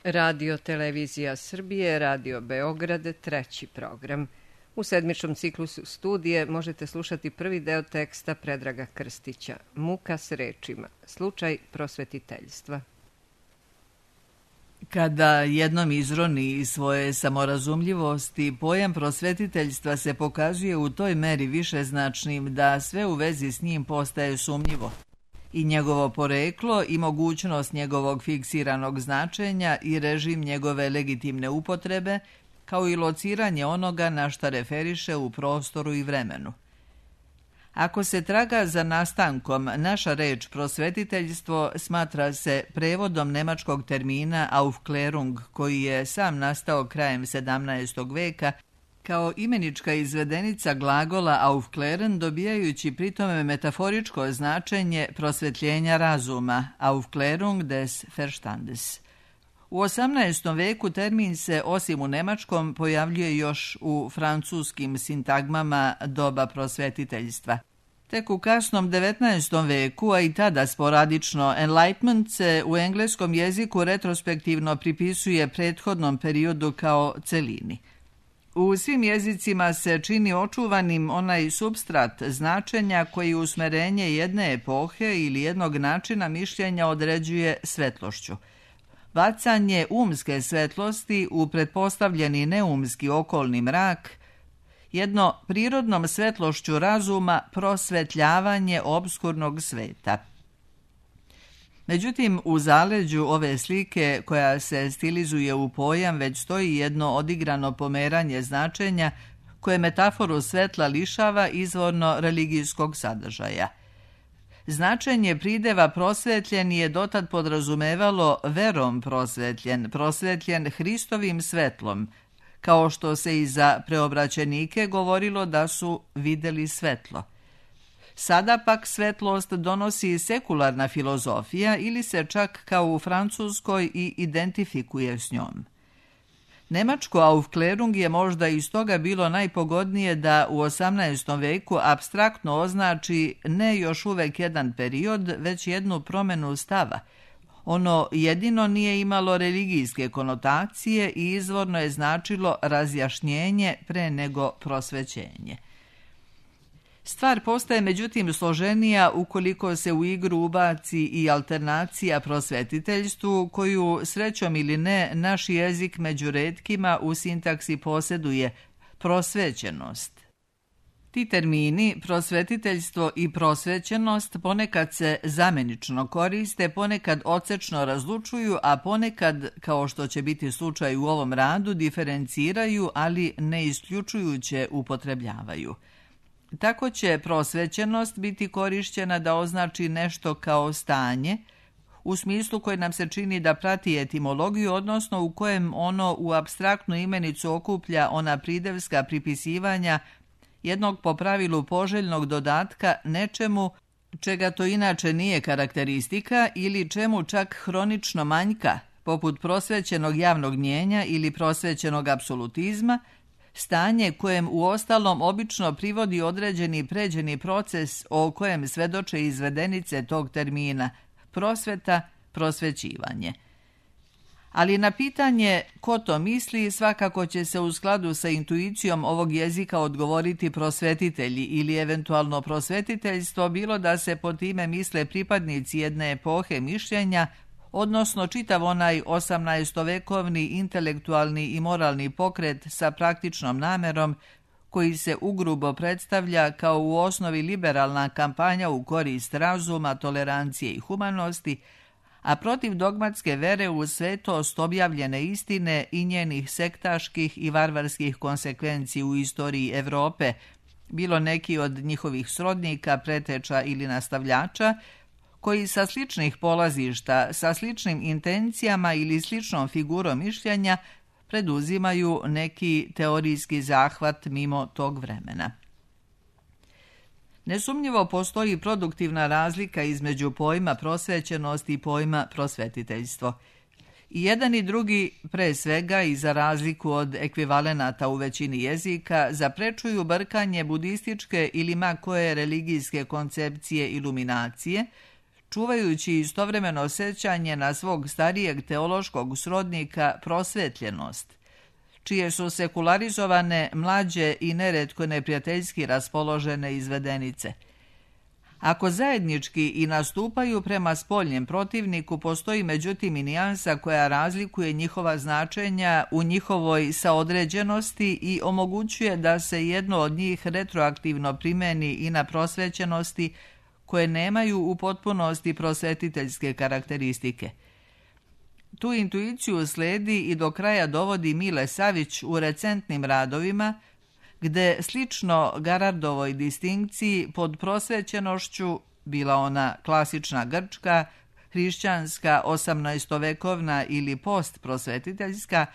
Radio Televizija Srbije, Radio Beograd, treći program. U sedmičnom ciklusu studije možete slušati prvi deo teksta Predraga Krstića, Muka s rečima, slučaj prosvetiteljstva. Kada jednom izroni iz svoje samorazumljivosti, pojam prosvetiteljstva se pokazuje u toj meri višeznačnim da sve u vezi s njim postaje sumnjivo. I njegovo poreklo i mogućnost njegovog fiksiranog značenja i režim njegove legitimne upotrebe, kao i lociranje onoga na šta referiše u prostoru i vremenu. Ako se traga za nastankom, naša reč prosvetiteljstvo smatra se prevodom nemačkog termina Aufklärung, koji je sam nastao krajem 17. veka kao imenička izvedenica glagola aufklären, dobijajući pritome metaforičko značenje prosvetljenja razuma, Aufklärung des Verstandes. U 18. veku termin se, osim u nemačkom, pojavljuje još u francuskim sintagmama doba prosvetiteljstva. Tek u kasnom 19. veku, a i tada sporadično, enlightenment se u engleskom jeziku retrospektivno pripisuje prethodnom periodu kao celini. U svim jezicima se čini očuvanim onaj supstrat značenja koji usmerenje jedne epohe ili jednog načina mišljenja određuje svetlošću. Bacanje umske svetlosti u pretpostavljeni neumski okolni mrak, jedno prirodnom svetlošću razuma prosvetljavanje obskurnog sveta. Međutim, u zaleđu ove slike, koja se stilizuje u pojam, već stoji jedno odigrano pomeranje značenja koje metaforu svetla lišava izvorno religijskog sadržaja. Značenje prideva prosvetljen je dotad podrazumevalo verom prosvetljen Hristovim svetlom, kao što se i za preobraćenike govorilo da su vidjeli svetlo. Sada pak svetlost donosi sekularna filozofija ili se čak kao u Francuskoj i identifikuje s njom. Nemačko Aufklärung je možda iz toga bilo najpogodnije da u 18. veku apstraktno označi ne još uvek jedan period, već jednu promjenu stava. Ono jedino nije imalo religijske konotacije i izvorno je značilo razjašnjenje pre nego prosvećenje. Stvar postaje međutim složenija ukoliko se u igru ubaci i alternacija prosvetiteljstvu, koju, srećom ili ne, naš jezik među retkima u sintaksi posjeduje, prosvećenost. Ti termini, prosvetiteljstvo i prosvećenost, ponekad se zamenično koriste, ponekad odsečno razlučuju, a ponekad, kao što će biti slučaj u ovom radu, diferenciraju, ali ne isključujuće upotrebljavaju. Tako će prosvećenost biti korišćena da označi nešto kao stanje, u smislu koje nam se čini da prati etimologiju, odnosno u kojem ono u apstraktnu imenicu okuplja ona pridevska pripisivanja jednog po pravilu poželjnog dodatka nečemu čega to inače nije karakteristika ili čemu čak hronično manjka, poput prosvećenog javnog mnijenja ili prosvećenog apsolutizma, stanje kojem uostalom obično privodi određeni pređeni proces o kojem svedoče izvedenice tog termina, prosveta, prosvećivanje. Ali na pitanje ko to misli svakako će se u skladu sa intuicijom ovog jezika odgovoriti prosvetitelji ili eventualno prosvetiteljstvo, bilo da se po time misle pripadnici jedne epohe mišljenja, odnosno čitav onaj 18-vekovni intelektualni i moralni pokret sa praktičnom namerom koji se ugrubo predstavlja kao u osnovi liberalna kampanja u korist razuma, tolerancije i humanosti, a protiv dogmatske vere u svetost objavljene istine i njenih sektaških i varvarskih konsekvenci u istoriji Evrope, bilo neki od njihovih srodnika, preteča ili nastavljača, koji sa sličnih polazišta, sa sličnim intencijama ili sličnom figurom mišljenja preduzimaju neki teorijski zahvat mimo tog vremena. Nesumnjivo postoji produktivna razlika između pojma prosvećenost i pojma prosvetiteljstvo. I jedan i drugi, pre svega i za razliku od ekvivalenata u većini jezika, zaprečuju brkanje budističke ili ma koje religijske koncepcije iluminacije, čuvajući istovremeno sjećanje na svog starijeg teološkog srodnika prosvetljenost, čije su sekularizovane, mlađe i neretko neprijateljski raspoložene izvedenice. Ako zajednički i nastupaju prema spoljnjem protivniku, postoji međutim i nijansa koja razlikuje njihova značenja u njihovoj saodređenosti i omogućuje da se jedno od njih retroaktivno primeni i na prosvećenosti koje nemaju u potpunosti prosvetiteljske karakteristike. Tu intuiciju sledi i do kraja dovodi Mile Savić u recentnim radovima, gde slično Garardovoj distinkciji pod prosvećenošću, bila ona klasična grčka, hrišćanska, 18-vekovna ili postprosvetiteljska,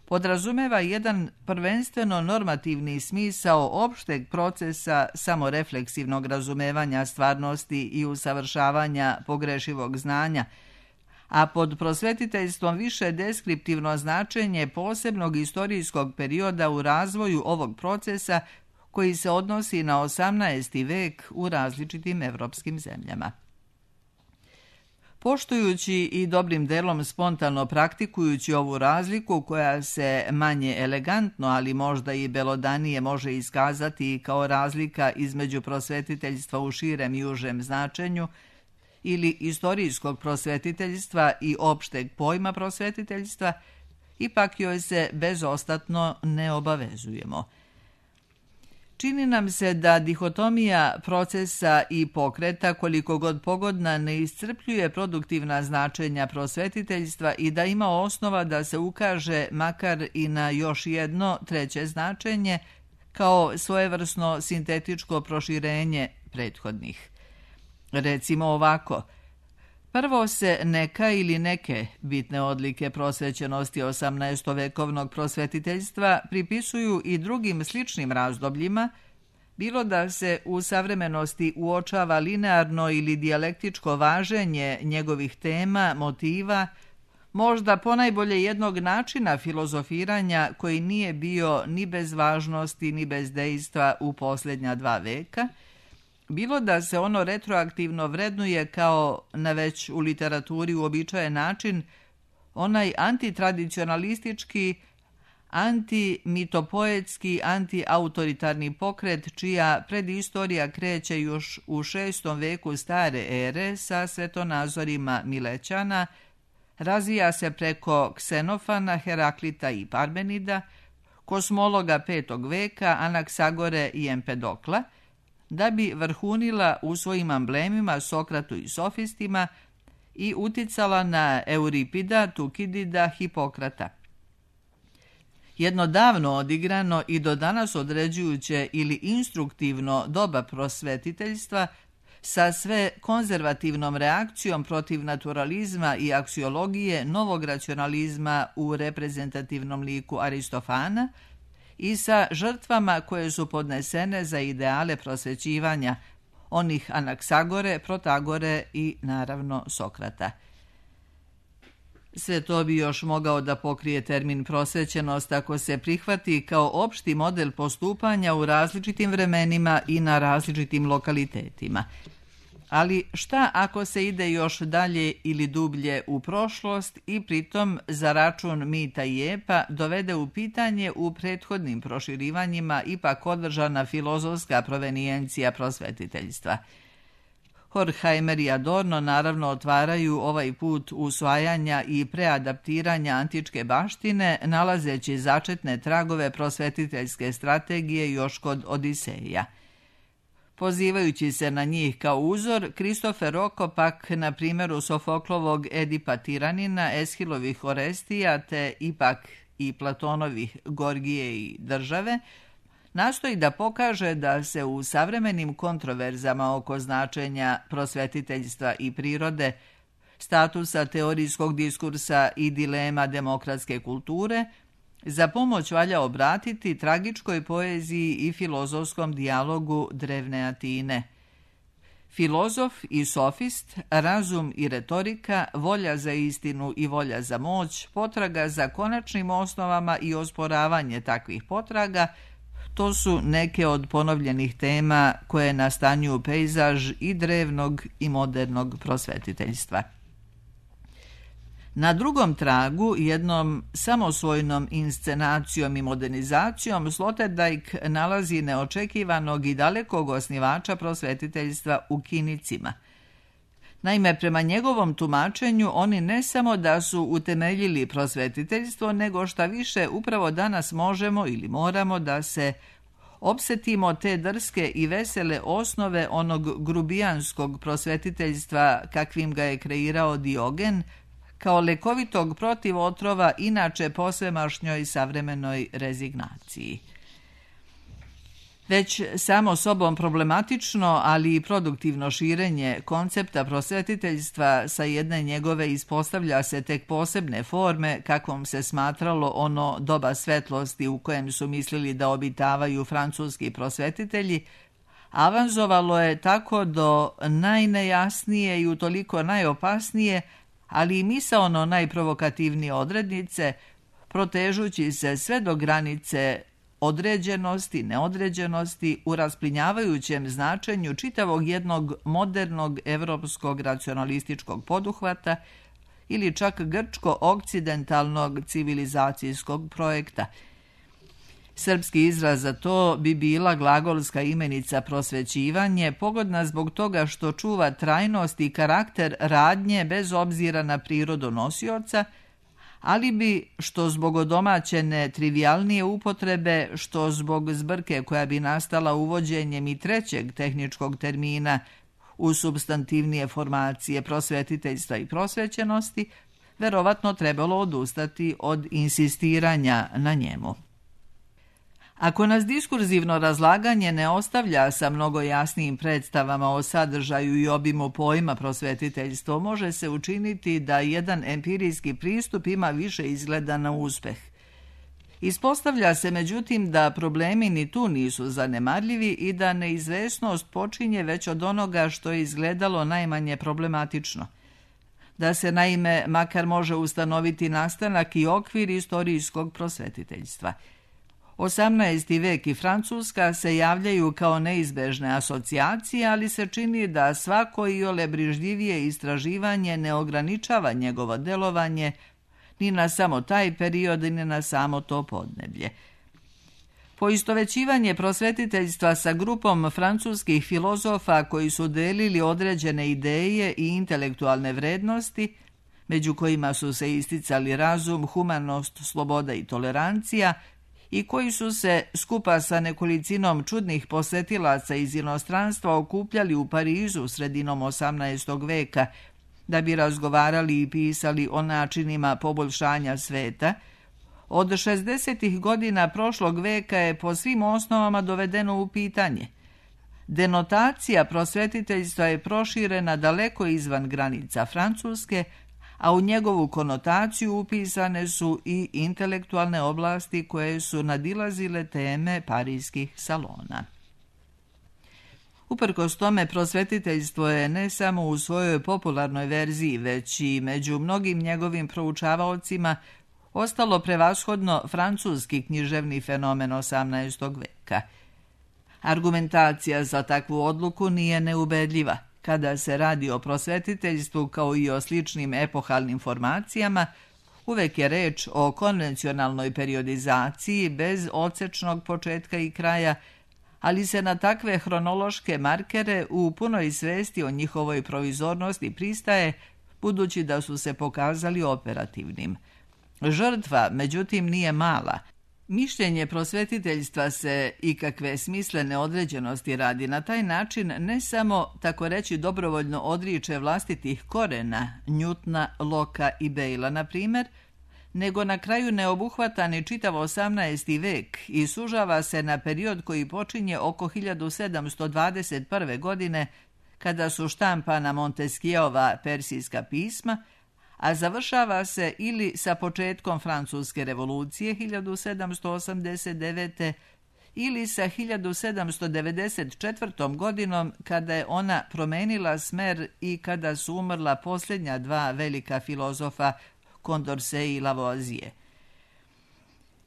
podrazumeva jedan prvenstveno normativni smisao opšteg procesa samorefleksivnog razumevanja stvarnosti i usavršavanja pogrešivog znanja, a pod prosvetiteljstvom više deskriptivno značenje posebnog istorijskog perioda u razvoju ovog procesa koji se odnosi na 18. vek u različitim evropskim zemljama. Poštujući i dobrim delom spontano praktikujući ovu razliku koja se manje elegantno, ali možda i belodanije može iskazati kao razlika između prosvetiteljstva u širem i užem značenju, ili istorijskog prosvetiteljstva i opšteg pojma prosvetiteljstva, ipak joj se bezostatno ne obavezujemo. Čini nam se da dihotomija procesa i pokreta, koliko god pogodna, ne iscrpljuje produktivna značenja prosvetiteljstva i da ima osnova da se ukaže makar i na još jedno treće značenje kao svojevrsno sintetičko proširenje prethodnih. Recimo ovako, prvo se neka ili neke bitne odlike prosvećenosti 18-vekovnog prosvetiteljstva pripisuju i drugim sličnim razdobljima, bilo da se u savremenosti uočava linearno ili dijalektičko važenje njegovih tema, motiva, možda ponajbolje jednog načina filozofiranja koji nije bio ni bez važnosti ni bez dejstva u posljednja 2 veka, bilo da se ono retroaktivno vrednuje kao na već u literaturi uobičajen način onaj antitradicionalistički, antimitopoetski, antiautoritarni pokret čija predistorija kreće još u 6. veku stare ere sa svetonazorima Milećana, razvija se preko Ksenofana, Heraklita i Parmenida, kosmologa 5. veka, Anaksagore i Empedokla, da bi vrhunila u svojim amblemima Sokratu i sofistima i uticala na Euripida, Tukidida, Hipokrata. Jedno davno odigrano i do danas određujuće ili instruktivno doba prosvetiteljstva sa sve konzervativnom reakcijom protiv naturalizma i aksiologije novog racionalizma u reprezentativnom liku Aristofana i sa žrtvama koje su podnesene za ideale prosvećivanja, onih Anaksagore, Protagore i naravno Sokrata. Sve to bi još mogao da pokrije termin prosvećenost ako se prihvati kao opšti model postupanja u različitim vremenima i na različitim lokalitetima. Ali šta ako se ide još dalje ili dublje u prošlost i pritom za račun mita i epa dovede u pitanje u prethodnim proširivanjima ipak održana filozofska provenijencija prosvetiteljstva? Horkheimer i Adorno naravno otvaraju ovaj put usvajanja i preadaptiranja antičke baštine, nalazeći začetne tragove prosvetiteljske strategije još kod Odiseja. Pozivajući se na njih kao uzor, Kristofer Roko pak na primjeru Sofoklovog Edipa Tiranina, Eshilovih Orestija te ipak i Platonovih Gorgije i Države, nastoji da pokaže da se u savremenim kontroverzama oko značenja prosvetiteljstva i prirode, statusa teorijskog diskursa i dilema demokratske kulture, za pomoć valja obratiti tragičkoj poeziji i filozofskom dijalogu drevne Atine. Filozof i sofist, razum i retorika, volja za istinu i volja za moć, potraga za konačnim osnovama i osporavanje takvih potraga, To su neke od ponovljenih tema koje nastanjuju pejzaž i drevnog i modernog prosvetiteljstva. Na drugom tragu, jednom samosvojnom inscenacijom i modernizacijom, Sloterdijk nalazi neočekivanog i dalekog osnivača prosvetiteljstva u Kinicima. Naime, prema njegovom tumačenju, oni ne samo da su utemeljili prosvetiteljstvo, nego šta više upravo danas možemo ili moramo da se opsetimo te drske i vesele osnove onog grubijanskog prosvetiteljstva kakvim ga je kreirao Diogen, kao lekovitog protivotrova inače posvemašnjoj savremenoj rezignaciji. Već samo sobom problematično, ali i produktivno širenje koncepta prosvetiteljstva sa jedne njegove ispostavlja se tek posebne forme kakvom se smatralo ono doba svetlosti u kojem su mislili da obitavaju francuski prosvetitelji, avanzovalo je tako do najnejasnije i utoliko najopasnije, ali i misaono najprovokativnije odrednice, protežući se sve do granice određenosti, neodređenosti u rasplinjavajućem značenju čitavog jednog modernog evropskog racionalističkog poduhvata ili čak grčko-okcidentalnog civilizacijskog projekta. Srpski izraz za to bi bila glagolska imenica prosvećivanje, pogodna zbog toga što čuva trajnost i karakter radnje bez obzira na prirodu nosioca, ali bi, što zbog odomaćene trivialnije upotrebe, što zbog zbrke koja bi nastala uvođenjem i trećeg tehničkog termina u supstantivnije formacije prosvetiteljstva i prosvećenosti, verovatno trebalo odustati od insistiranja na njemu. Ako nas diskurzivno razlaganje ne ostavlja sa mnogo jasnijim predstavama o sadržaju i obimu pojma prosvetiteljstvo, može se učiniti da jedan empirijski pristup ima više izgleda na uspeh. Ispostavlja se međutim da problemi ni tu nisu zanemarljivi i da neizvesnost počinje već od onoga što je izgledalo najmanje problematično. Da se naime makar može ustanoviti nastanak i okvir istorijskog prosvetiteljstva. 18. vek i Francuska se javljaju kao neizbežne asocijacije, ali se čini da svako iole brižljivije istraživanje ne ograničava njegovo delovanje ni na samo taj period, ni na samo to podneblje. Poistovećivanje prosvetiteljstva sa grupom francuskih filozofa koji su delili određene ideje i intelektualne vrednosti, među kojima su se isticali razum, humanost, sloboda i tolerancija, i koji su se skupa sa nekolicinom čudnih posetilaca iz inostranstva okupljali u Parizu sredinom 18. veka da bi razgovarali i pisali o načinima poboljšanja sveta, od 60. godina prošlog veka je po svim osnovama dovedeno u pitanje. Denotacija prosvetiteljstva je proširena daleko izvan granica Francuske, a u njegovu konotaciju upisane su i intelektualne oblasti koje su nadilazile teme parijskih salona. Uprkos tome, prosvetiteljstvo je ne samo u svojoj popularnoj verziji, već i među mnogim njegovim proučavaocima ostalo prevashodno francuski književni fenomen 18. veka. Argumentacija za takvu odluku nije neubedljiva. Kada se radi o prosvetiteljstvu kao i o sličnim epohalnim formacijama, uvek je reč o konvencionalnoj periodizaciji bez odsečnog početka i kraja, ali se na takve hronološke markere u punoj svesti o njihovoj provizornosti pristaje, budući da su se pokazali operativnim. Žrtva, međutim, nije mala. Mišljenje prosvetiteljstva se ikakve smislene određenosti radi na taj način ne samo, tako reći, dobrovoljno odriče vlastitih korena, Newtona, Locka i Bayla, na primjer, nego na kraju ne obuhvata ni čitav 18. vek i sužava se na period koji počinje oko 1721. godine, kada su štampana Montesquieuova persijska pisma, a završava se ili sa početkom Francuske revolucije 1789. ili sa 1794. godinom, kada je ona promenila smer i kada su umrla posljednja dva velika filozofa, Condorcet i Lavoisier.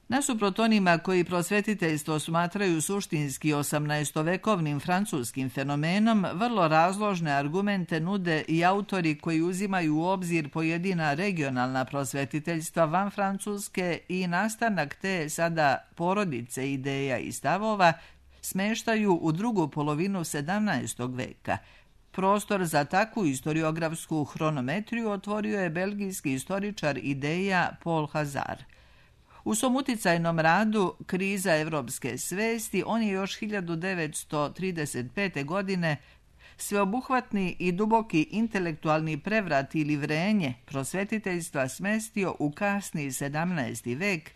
Nasuprot onima koji prosvetiteljstvo smatraju suštinski 18-vekovnim francuskim fenomenom, vrlo razložne argumente nude i autori koji uzimaju u obzir pojedina regionalna prosvetiteljstva van Francuske i nastanak te sada porodice ideja i stavova smeštaju u drugu polovinu 17. veka. Prostor za takvu historiografsku hronometriju otvorio je belgijski istoričar ideja Paul Hazard. U svom uticajnom radu Kriza evropske svesti on je još 1935. godine sveobuhvatni i duboki intelektualni prevrat ili vrenje prosvetiteljstva smestio u kasni 17. vek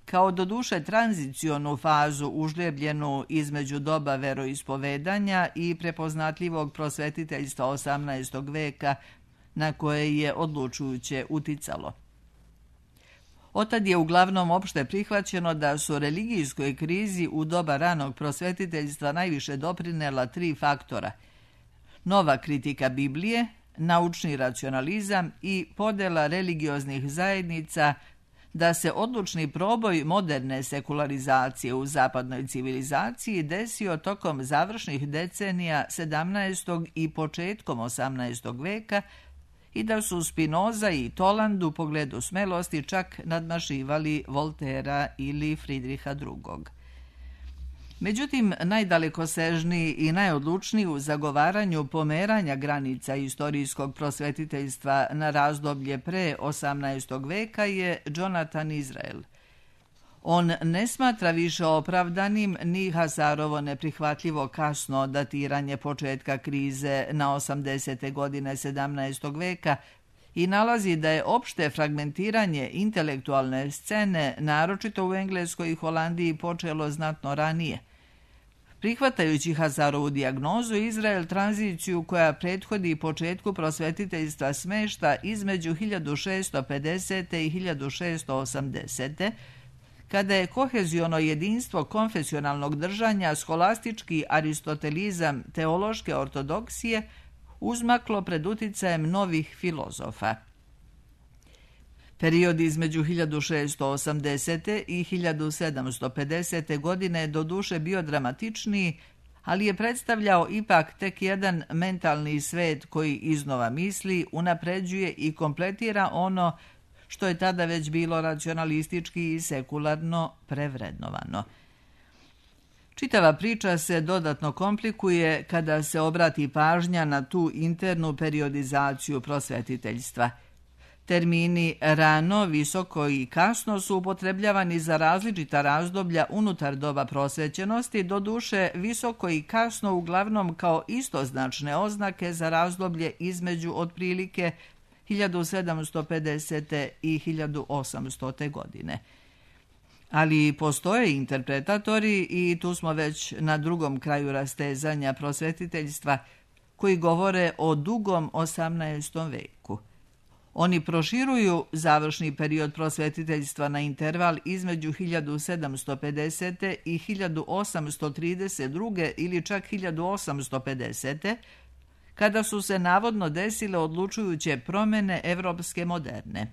kao doduše tranzicionu fazu užljebljenu između doba veroispovedanja i prepoznatljivog prosvetiteljstva 18. veka na koje je odlučujuće uticalo. Otad je uglavnom opšte prihvaćeno da su religijskoj krizi u doba ranog prosvetiteljstva najviše doprinela tri faktora: nova kritika Biblije, naučni racionalizam i podela religioznih zajednica, da se odlučni proboj moderne sekularizacije u zapadnoj civilizaciji desio tokom završnih decenija 17. i početkom 18. veka i da su Spinoza i Toland u pogledu smelosti čak nadmašivali Voltera ili Fridriha II. Međutim, najdalekosežniji i najodlučniji u zagovaranju pomeranja granica istorijskog prosvetiteljstva na razdoblje pre 18. veka je Jonathan Israel. On ne smatra više opravdanim ni Hazarovo neprihvatljivo kasno datiranje početka krize na 80. godine 17. veka i nalazi da je opšte fragmentiranje intelektualne scene, naročito u Engleskoj i Holandiji, počelo znatno ranije. Prihvatajući Hazarovu dijagnozu, Izrael tranziciju koja prethodi početku prosvetiteljstva smešta između 1650. i 1680. kada je koheziono jedinstvo konfesionalnog držanja, scholastički aristotelizam, teološke ortodoksije uzmaklo pred uticajem novih filozofa. Period između 1680. i 1750. godine je doduše bio dramatičniji, ali je predstavljao ipak tek jedan mentalni svet koji iznova misli, unapređuje i kompletira ono što je tada već bilo racionalistički i sekularno prevrednovano. Čitava priča se dodatno komplikuje kada se obrati pažnja na tu internu periodizaciju prosvetiteljstva. Termini rano, visoko i kasno su upotrebljavani za različita razdoblja unutar doba prosvećenosti, doduše visoko i kasno uglavnom kao istoznačne oznake za razdoblje između otprilike 1750. i 1800. godine. Ali postoje interpretatori, i tu smo već na drugom kraju rastezanja prosvetiteljstva, koji govore o dugom 18. veku. Oni proširuju završni period prosvetiteljstva na interval između 1750. i 1832. ili čak 1850. kada su se navodno desile odlučujuće promjene evropske moderne.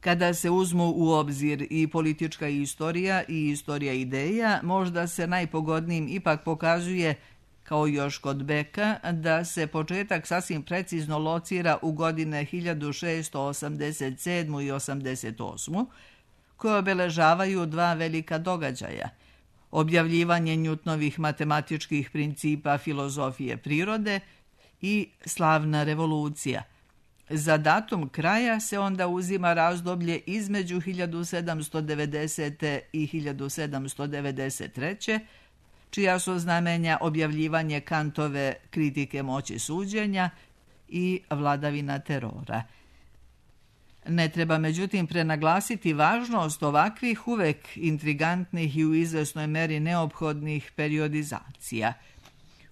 Kada se uzmu u obzir i politička istorija i istorija ideja, možda se najpogodnijim ipak pokazuje, kao još kod Beka, da se početak sasvim precizno locira u godine 1687. i 88. koje obeležavaju dva velika događaja: objavljivanje Newtonovih matematičkih principa filozofije prirode i slavna revolucija. Za datum kraja se onda uzima razdoblje između 1790. i 1793. čija su znamenja objavljivanje Kantove kritike moći suđenja i vladavina terora. Ne treba međutim prenaglasiti važnost ovakvih uvek intrigantnih i u izvesnoj meri neophodnih periodizacija.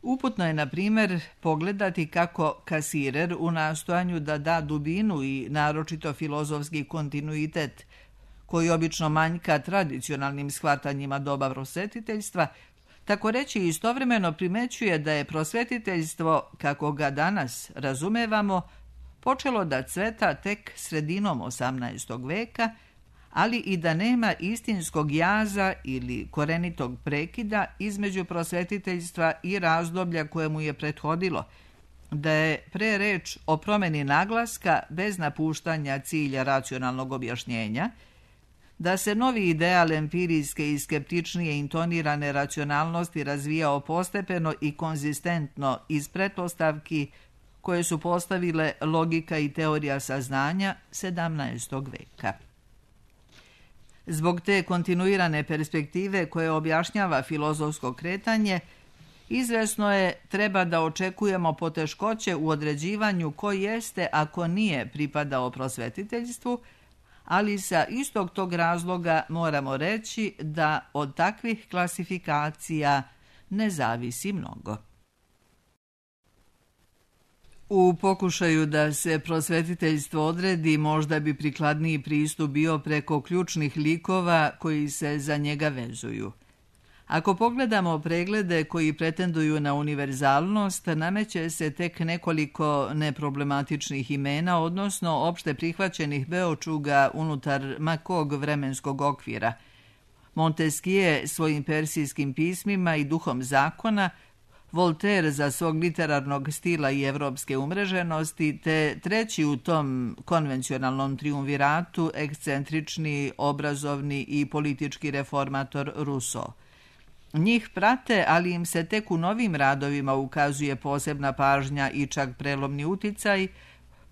Uputno je, na primjer, pogledati kako Kasirer u nastojanju da da dubinu i naročito filozofski kontinuitet, koji obično manjka tradicionalnim shvatanjima doba prosvetiteljstva, tako reći istovremeno primećuje da je prosvetiteljstvo, kako ga danas razumevamo, počelo da cveta tek sredinom 18. veka, ali i da nema istinskog jaza ili korenitog prekida između prosvetiteljstva i razdoblja koje mu je prethodilo, da je pre reč o promjeni naglaska bez napuštanja cilja racionalnog objašnjenja, da se novi ideal empirijske i skeptičnije intonirane racionalnosti razvijao postepeno i konzistentno iz pretpostavki koje su postavile logika i teorija saznanja 17. veka. Zbog te kontinuirane perspektive koje objašnjava filozofsko kretanje, izvesno je treba da očekujemo poteškoće u određivanju ko jeste ako nije pripadao prosvetiteljstvu, ali sa istog tog razloga moramo reći da od takvih klasifikacija ne zavisi mnogo. U pokušaju da se prosvetiteljstvo odredi, možda bi prikladniji pristup bio preko ključnih likova koji se za njega vezuju. Ako pogledamo preglede koji pretenduju na univerzalnost, nameće se tek nekoliko neproblematičnih imena, odnosno opšte prihvaćenih beočuga unutar ma kog vremenskog okvira. Montesquieu svojim persijskim pismima i duhom zakona, Voltaire za svog literarnog stila i evropske umreženosti, te treći u tom konvencionalnom triumviratu ekscentrični, obrazovni i politički reformator Rousseau. Njih prate, ali im se tek u novim radovima ukazuje posebna pažnja i čak prelomni uticaj,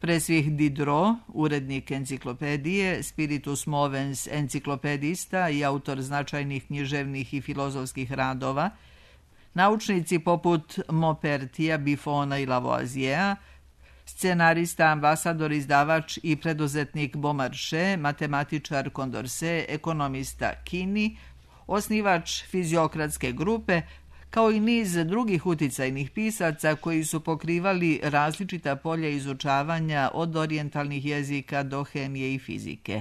pre svih Diderot, urednik enciklopedije, spiritus movens enciklopedista i autor značajnih književnih i filozofskih radova, naučnici poput Maupertija, Buffona i Lavoisiera, scenarista, ambasador, izdavač i preduzetnik Beaumarchais, matematičar Condorcet, ekonomista Kini, osnivač fiziokratske grupe, kao i niz drugih uticajnih pisaca koji su pokrivali različita polja izučavanja od orijentalnih jezika do hemije i fizike.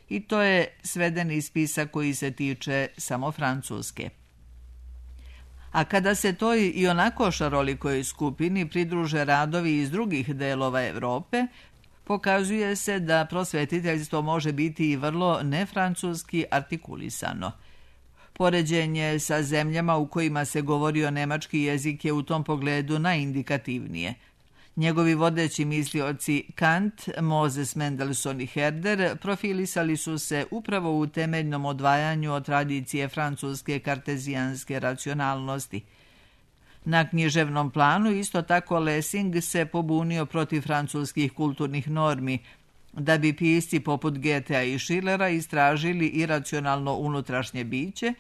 I to je svedeni spisak koji se tiče samo Francuske. A kada se toj i onako šarolikoj skupini pridruže radovi iz drugih delova Evrope, pokazuje se da prosvetiteljstvo može biti i vrlo nefrancuski artikulisano. Poređenje sa zemljama u kojima se govorio nemački jezik je u tom pogledu najindikativnije. Njegovi vodeći mislioci Kant, Moses Mendelssohn i Herder profilisali su se upravo u temeljnom odvajanju od tradicije francuske kartezijanske racionalnosti. Na književnom planu isto tako Lessing se pobunio protiv francuskih kulturnih normi, da bi pisci poput Goethea i Schillera istražili iracionalno unutrašnje biće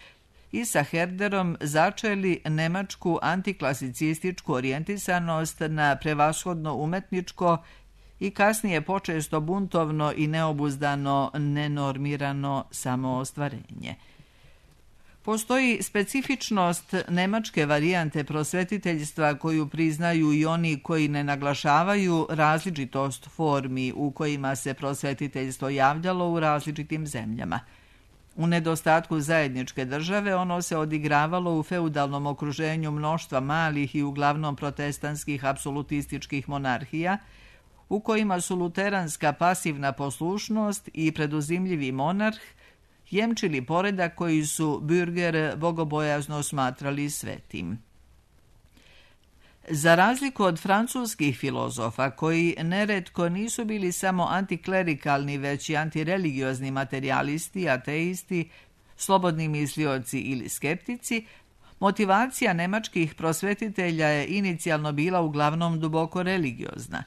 i sa Herderom začeli nemačku antiklasicističku orijentisanost na prevashodno umetničko i kasnije počesto buntovno i neobuzdano, nenormirano samoostvarenje. Postoji specifičnost nemačke varijante prosvetiteljstva koju priznaju i oni koji ne naglašavaju različitost formi u kojima se prosvetiteljstvo javljalo u različitim zemljama. U nedostatku zajedničke države ono se odigravalo u feudalnom okruženju mnoštva malih i uglavnom protestantskih apsolutističkih monarhija, u kojima su luteranska pasivna poslušnost i preduzimljivi monarh jemčili poredak koji su bürger bogobojazno smatrali svetim. Za razliku od francuskih filozofa, koji neretko nisu bili samo antiklerikalni, već i antireligiozni materijalisti, ateisti, slobodni mislioci ili skeptici, motivacija nemačkih prosvetitelja je inicijalno bila uglavnom duboko religiozna.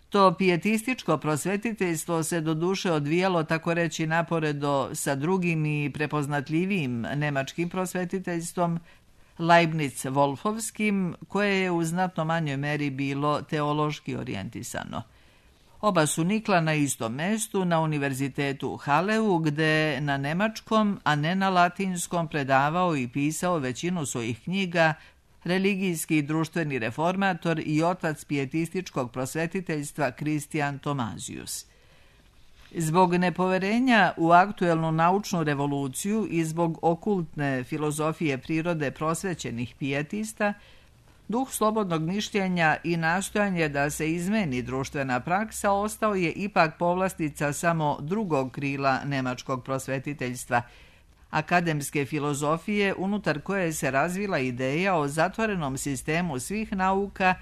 To pijetističko prosvetiteljstvo se doduše odvijalo tako reći naporedo sa drugim i prepoznatljivijim nemačkim prosvetiteljstvom, Leibniz-Wolfovskim, koje je u znatno manjoj meri bilo teološki orijentisano. Oba su nikla na istom mestu, na univerzitetu u Halleu, gde na nemačkom, a ne na latinskom predavao i pisao većinu svojih knjiga religijski i društveni reformator i otac pijetističkog prosvetiteljstva Kristijan Tomazius. Zbog nepoverenja u aktuelnu naučnu revoluciju i zbog okultne filozofije prirode prosvećenih pijetista, Duh slobodnog mišljenja i nastojanje da se izmeni društvena praksa ostao je ipak povlastica samo drugog krila nemačkog prosvetiteljstva, akademske filozofije unutar koje se razvila ideja o zatvorenom sistemu svih nauka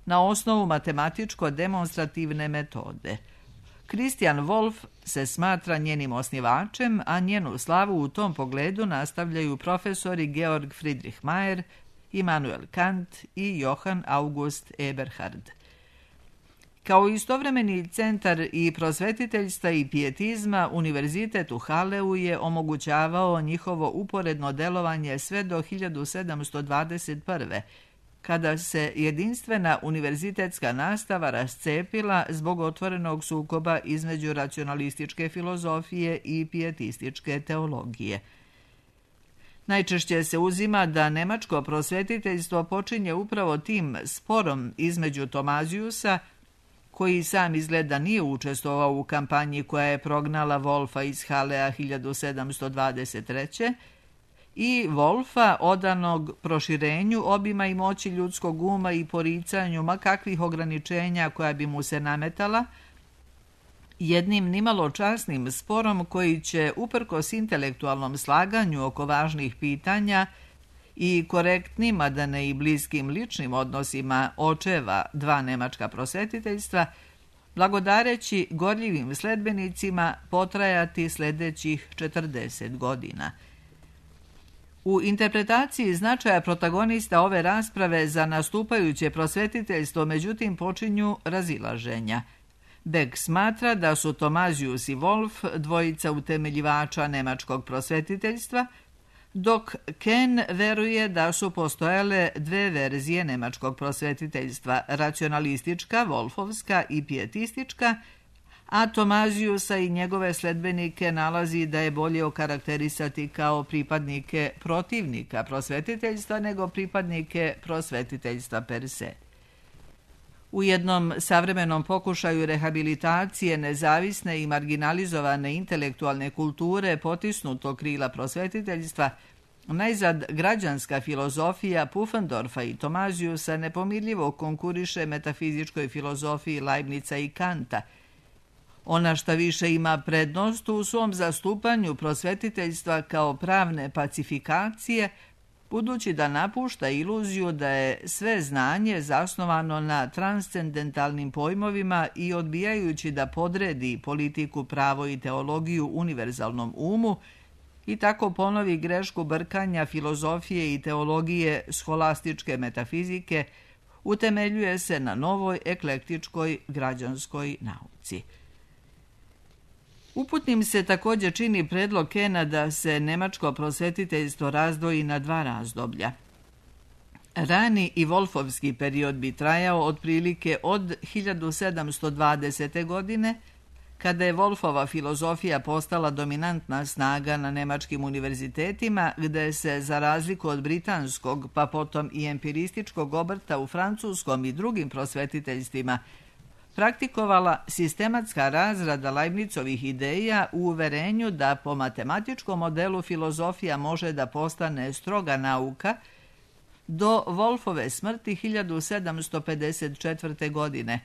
na osnovu matematičko-demonstrativne metode. Christian Wolff se smatra njenim osnivačem, a njenu slavu u tom pogledu nastavljaju profesori Georg Friedrich Mayer, Immanuel Kant i Johann August Eberhard. Kao istovremeni centar i prosvetiteljstva i pijetizma, Univerzitet u Haleu je omogućavao njihovo uporedno delovanje sve do 1721. kada se jedinstvena univerzitetska nastava rascepila zbog otvorenog sukoba između racionalističke filozofije i pijetističke teologije. Najčešće se uzima da nemačko prosvetiteljstvo počinje upravo tim sporom između Tomazijusa, koji sam izgleda nije učestvovao u kampanji koja je prognala Wolffa iz Halea 1723. i Wolffa odanog proširenju obima i moći ljudskog uma i poricanju ma kakvih ograničenja koja bi mu se nametala, jednim nimalo časnim sporom koji će uprkos intelektualnom slaganju oko važnih pitanja i korektnim, a da ne i bliskim ličnim odnosima očeva dva nemačka prosvetiteljstva, blagodareći gorljivim sledbenicima potrajati sljedećih 40 godina. U interpretaciji značaja protagonista ove rasprave za nastupajuće prosvetiteljstvo međutim počinju razilaženja. Beck smatra da su Tomazijus i Wolff dvojica utemeljivača nemačkog prosvetiteljstva, dok Ken veruje da su postojale dve verzije nemačkog prosvetiteljstva, racionalistička, Wolffovska i pijetistička, a Tomazijusa i njegove sledbenike nalazi da je bolje okarakterisati kao pripadnike protivnika prosvetiteljstva nego pripadnike prosvetiteljstva per se. U jednom savremenom pokušaju rehabilitacije nezavisne i marginalizovane intelektualne kulture potisnutog krila prosvetiteljstva, najzad građanska filozofija Pufendorfa i Tomazijusa nepomirljivo konkuriše metafizičkoj filozofiji Leibnica i Kanta. Ona šta više ima prednost u svom zastupanju prosvetiteljstva kao pravne pacifikacije, budući da napušta iluziju da je sve znanje zasnovano na transcendentalnim pojmovima i odbijajući da podredi politiku, pravo i teologiju univerzalnom umu i tako ponovi grešku brkanja filozofije i teologije scholastičke metafizike, utemeljuje se na novoj eklektičkoj građanskoj nauci. Uputnim se također čini predlog Kena da se nemačko prosvetiteljstvo razdvoji na dva razdoblja. Rani i Wolffovski period bi trajao otprilike od 1720. godine, kada je Wolffova filozofija postala dominantna snaga na nemačkim univerzitetima, gde se, za razliku od britanskog, pa potom i empirističkog obrta u francuskom i drugim prosvetiteljstvima, praktikovala sistematska razrada Leibnicovih ideja u uverenju da po matematičkom modelu filozofija može da postane stroga nauka do Wolffove smrti 1754. godine,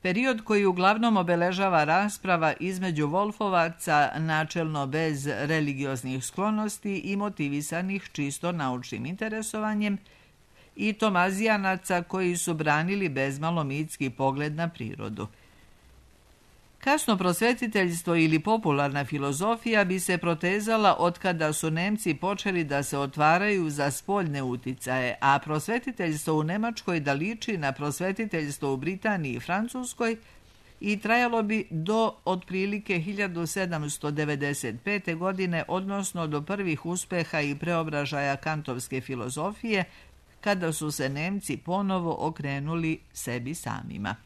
period koji uglavnom obeležava rasprava između Wolffovaca načelno bez religioznih sklonosti i motivisanih čisto naučnim interesovanjem i Tomazijanaca koji su branili bezmalo mitski pogled na prirodu. Kasno prosvetiteljstvo ili popularna filozofija bi se protezala otkada su Nemci počeli da se otvaraju za spoljne uticaje, a prosvetiteljstvo u Nemačkoj da liči na prosvetiteljstvo u Britaniji i Francuskoj i trajalo bi do otprilike 1795. godine, odnosno do prvih uspeha i preobražaja kantovske filozofije, kada su se Nemci ponovo okrenuli sebi samima.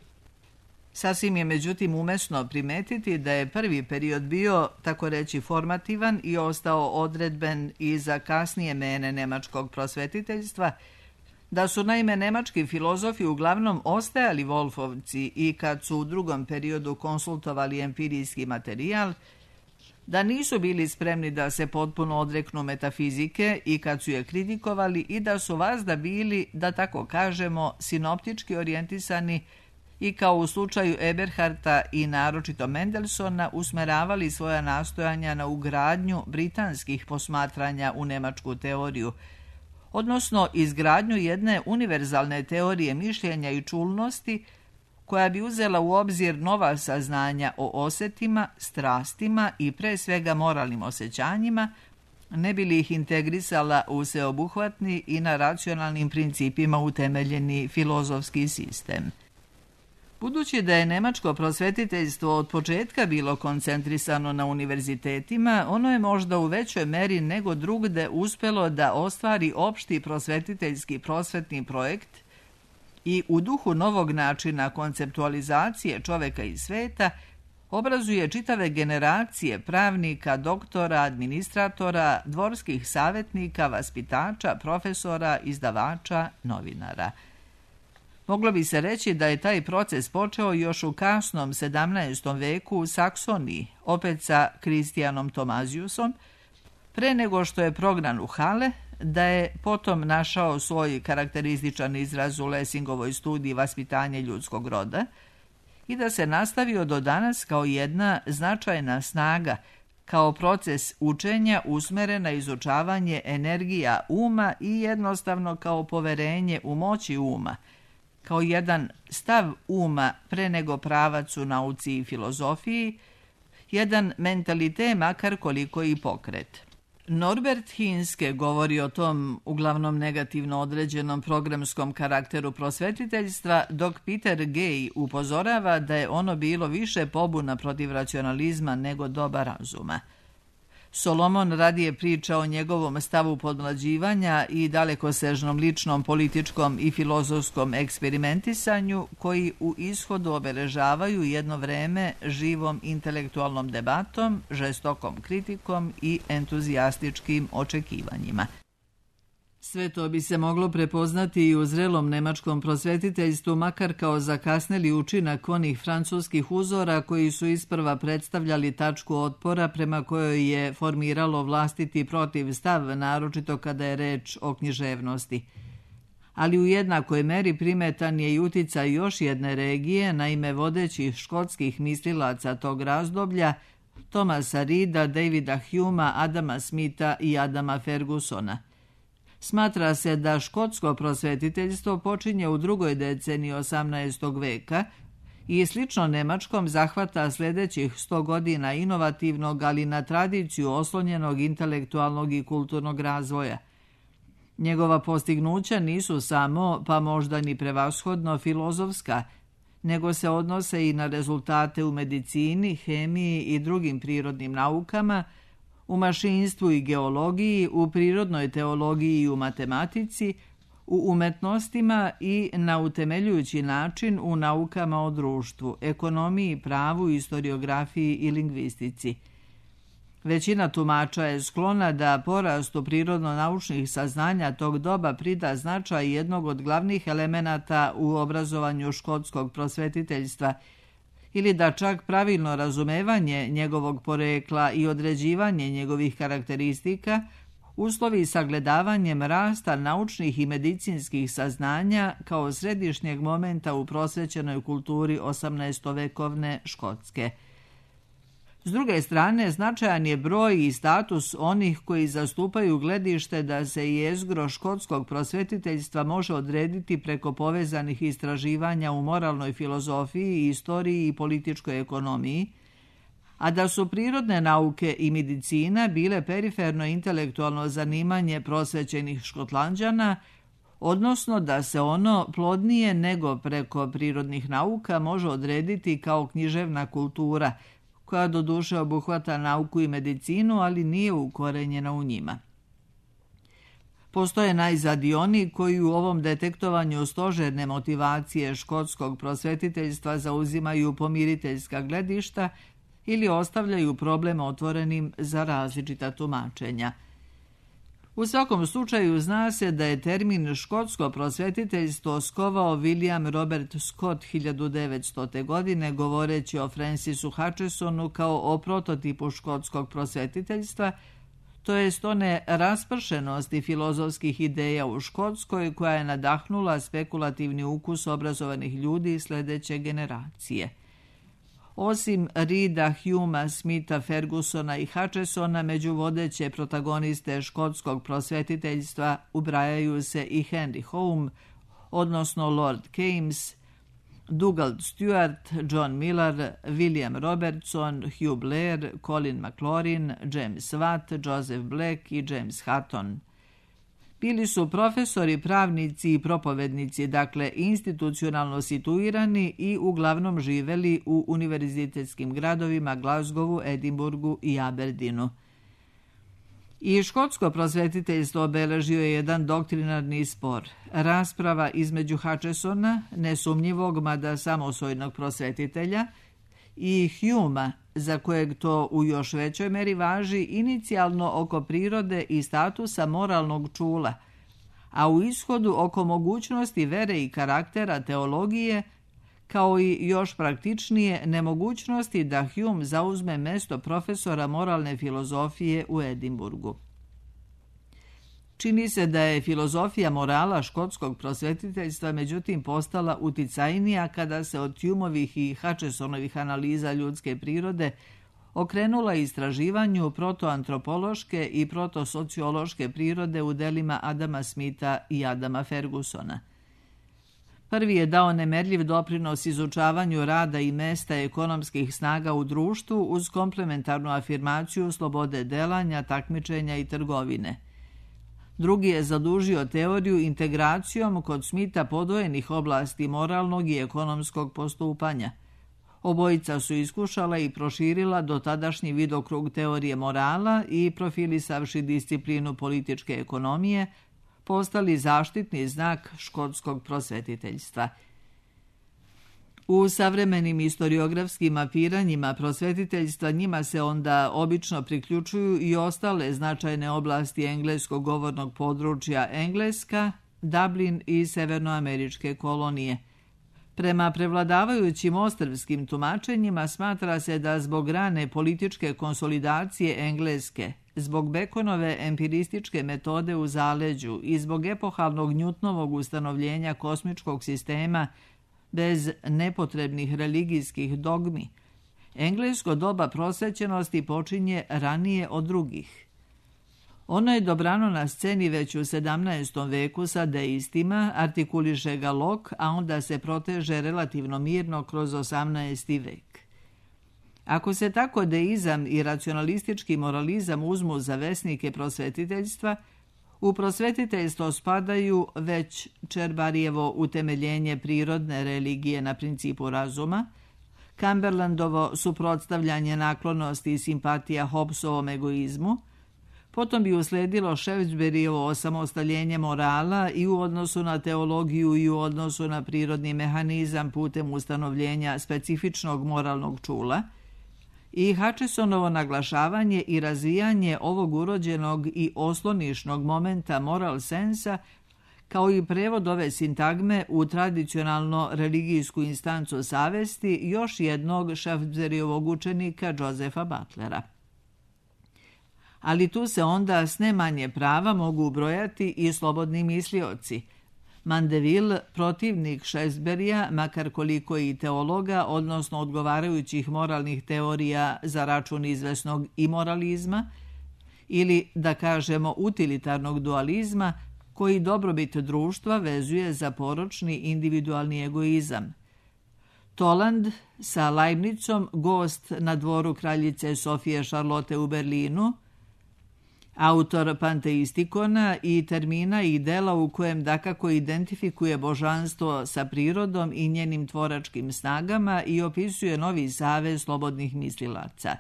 Sasvim je međutim umesno primetiti da je prvi period bio, tako reći, formativan i ostao odredben i za kasnije mene nemačkog prosvetiteljstva, da su naime nemački filozofi uglavnom ostajali Wolffovci i kad su u drugom periodu konsultovali empirijski materijal, da nisu bili spremni da se potpuno odreknu metafizike i kad su je kritikovali i da su vazda bili, da tako kažemo, sinoptički orijentisani i kao u slučaju Eberharta i naročito Mendelsona usmeravali svoja nastojanja na ugradnju britanskih posmatranja u nemačku teoriju, odnosno izgradnju jedne univerzalne teorije mišljenja i čulnosti koja bi uzela u obzir nova saznanja o osetima, strastima i pre svega moralnim osjećanjima, ne bi li ih integrisala u sveobuhvatni i na racionalnim principima utemeljeni filozofski sistem. Budući da je nemačko prosvetiteljstvo od početka bilo koncentrisano na univerzitetima, ono je možda u većoj meri nego drugde uspelo da ostvari opšti prosvetiteljski prosvetni projekt i u duhu novog načina konceptualizacije čoveka i sveta obrazuje čitave generacije pravnika, doktora, administratora, dvorskih savjetnika, vaspitača, profesora, izdavača, novinara. Moglo bi se reći da je taj proces počeo još u kasnom 17. veku u Saksoniji, opet sa Kristijanom Tomaziusom, pre nego što je prognan u Halle, da je potom našao svoj karakterističan izraz u Lessingovoj studiji Vaspitanje ljudskog roda i da se nastavio do danas kao jedna značajna snaga, kao proces učenja usmeren na izučavanje energija uma i jednostavno kao poverenje u moći uma, kao jedan stav uma pre nego pravac u nauci i filozofiji, jedan mentalitet makar koliko i pokret. Norbert Hinske govori o tom uglavnom negativno određenom programskom karakteru prosvetiteljstva, dok Peter Gay upozorava da je ono bilo više pobuna protiv racionalizma nego doba razuma. Solomon radije priča o njegovom stavu podmlađivanja i dalekosežnom ličnom, političkom i filozofskom eksperimentisanju koji u ishodu obeležavaju jedno vreme živom intelektualnom debatom, žestokom kritikom i entuzijastičkim očekivanjima. Sve to bi se moglo prepoznati i u zrelom nemačkom prosvetiteljstvu, makar kao zakasneli učinak onih francuskih uzora koji su isprva predstavljali tačku otpora prema kojoj je formiralo vlastiti protiv stav, naročito kada je reč o književnosti. Ali u jednakoj meri primetan je i uticaj još jedne regije, naime vodećih škotskih mislilaca tog razdoblja, Thomasa Reada, Davida Humea, Adama Smitha i Adama Fergusona. Smatra se da škotsko prosvetiteljstvo počinje u drugoj deceniji 18. veka i slično nemačkom zahvata sljedećih 100 godina inovativnog, ali na tradiciju oslonjenog intelektualnog i kulturnog razvoja. Njegova postignuća nisu samo, pa možda ni prevashodno, filozofska, nego se odnose i na rezultate u medicini, hemiji i drugim prirodnim naukama, u mašinstvu i geologiji, u prirodnoj teologiji i u matematici, u umetnostima i na utemeljujući način u naukama o društvu, ekonomiji, pravu, istoriografiji i lingvistici. Većina tumača je sklona da porastu prirodno-naučnih saznanja tog doba prida značaj jednog od glavnih elemenata u obrazovanju škotskog prosvetiteljstva, ili da čak pravilno razumevanje njegovog porekla i određivanje njegovih karakteristika uslovi sagledavanjem rasta naučnih i medicinskih saznanja kao središnjeg momenta u prosvećenoj kulturi 18-vekovne Škotske. S druge strane, značajan je broj i status onih koji zastupaju gledište da se jezgro škotskog prosvetiteljstva može odrediti preko povezanih istraživanja u moralnoj filozofiji, istoriji i političkoj ekonomiji, a da su prirodne nauke i medicina bile periferno intelektualno zanimanje prosvećenih Škotlanđana, odnosno da se ono plodnije nego preko prirodnih nauka može odrediti kao književna kultura, koja doduše obuhvata nauku i medicinu, ali nije ukorenjena u njima. Postoje najzad i oni koji u ovom detektovanju stožerne motivacije škotskog prosvetiteljstva zauzimaju pomiriteljska gledišta ili ostavljaju problem otvorenim za različita tumačenja. U svakom slučaju zna se da je termin škotsko prosvetiteljstvo skovao William Robert Scott 1900. godine govoreći o Francisu Hutchesonu kao o prototipu škotskog prosvetiteljstva, to jest one raspršenosti filozofskih ideja u Škotskoj koja je nadahnula spekulativni ukus obrazovanih ljudi sljedeće generacije. Osim Reeda, Humea, Smitha, Fergusona i Hutchesona, među vodeće protagoniste škotskog prosvetiteljstva ubrajaju se i Henry Home, odnosno Lord Keynes, Dugald Stewart, John Millar, William Robertson, Hugh Blair, Colin McLaurin, James Watt, Joseph Black i James Hutton. Bili su profesori, pravnici i propovednici, dakle institucionalno situirani i uglavnom živeli u univerzitetskim gradovima Glasgowu, Edinburgu i Aberdeenu. I škotsko prosvetiteljstvo obeležio je jedan doktrinarni spor. Rasprava između Hutchesona, nesumnjivog mada samosvojnog prosvetitelja, i Humea, za kojeg to u još većoj meri važi, inicijalno oko prirode i statusa moralnog čula, a u ishodu oko mogućnosti vere i karaktera teologije, kao i još praktičnije nemogućnosti da Hume zauzme mesto profesora moralne filozofije u Edinburgu. Čini se da je filozofija morala škotskog prosvetiteljstva međutim postala uticajnija kada se od Humeovih i Hutchesonovih analiza ljudske prirode okrenula istraživanju protoantropološke i protosociološke prirode u delima Adama Smitha i Adama Fergusona. Prvi je dao nemerljiv doprinos izučavanju rada i mesta ekonomskih snaga u društvu uz komplementarnu afirmaciju slobode delanja, takmičenja i trgovine. Drugi je zadužio teoriju integracijom kod Smitha podvojenih oblasti moralnog i ekonomskog postupanja. Obojica su iskušala i proširila dotadašnji vidokrug teorije morala i, profilisavši disciplinu političke ekonomije, postali zaštitni znak škotskog prosvetiteljstva. U savremenim historiografskim mapiranjima prosvetiteljstva njima se onda obično priključuju i ostale značajne oblasti engleskog govornog područja Engleska, Dublin i severnoameričke kolonije. Prema prevladavajućim ostrvskim tumačenjima smatra se da zbog rane političke konsolidacije Engleske, zbog Baconove empirističke metode u zaleđu i zbog epohalnog Newtonovog ustanovljenja kosmičkog sistema bez nepotrebnih religijskih dogmi, englesko doba prosvećenosti počinje ranije od drugih. Ono je dobrano na sceni već u 17. veku sa deistima, artikuliše ga Locke, a onda se proteže relativno mirno kroz 18. vek. Ako se tako deizam i racionalistički moralizam uzmu za vesnike prosvetiteljstva, u prosvetiteljstvo spadaju već Čerbarijevo utemeljenje prirodne religije na principu razuma, Cumberlandovo suprotstavljanje naklonosti i simpatija Hobbesovom egoizmu, potom bi usledilo Shaftesburyjevo osamostaljenje morala i u odnosu na teologiju i u odnosu na prirodni mehanizam putem ustanovljenja specifičnog moralnog čula, i Hutchesonovo naglašavanje i razvijanje ovog urođenog i oslonišnog momenta moral sensa, kao i prevod ove sintagme u tradicionalno religijsku instancu savesti još jednog Shaftesburyjevog učenika Josepha Butlera. Ali tu se onda s ne manje prava mogu ubrojati i slobodni mislioci. Mandeville, protivnik Shaftesburyja, makar koliko i teologa, odnosno odgovarajućih moralnih teorija za račun izvesnog imoralizma, ili, da kažemo, utilitarnog dualizma, koji dobrobit društva vezuje za poročni individualni egoizam. Toland sa Leibnicom, gost na dvoru kraljice Sofije Šarlote u Berlinu, autor panteistikona i termina i dela u kojem dakako identifikuje božanstvo sa prirodom i njenim tvoračkim snagama i opisuje novi savez slobodnih mislilaca.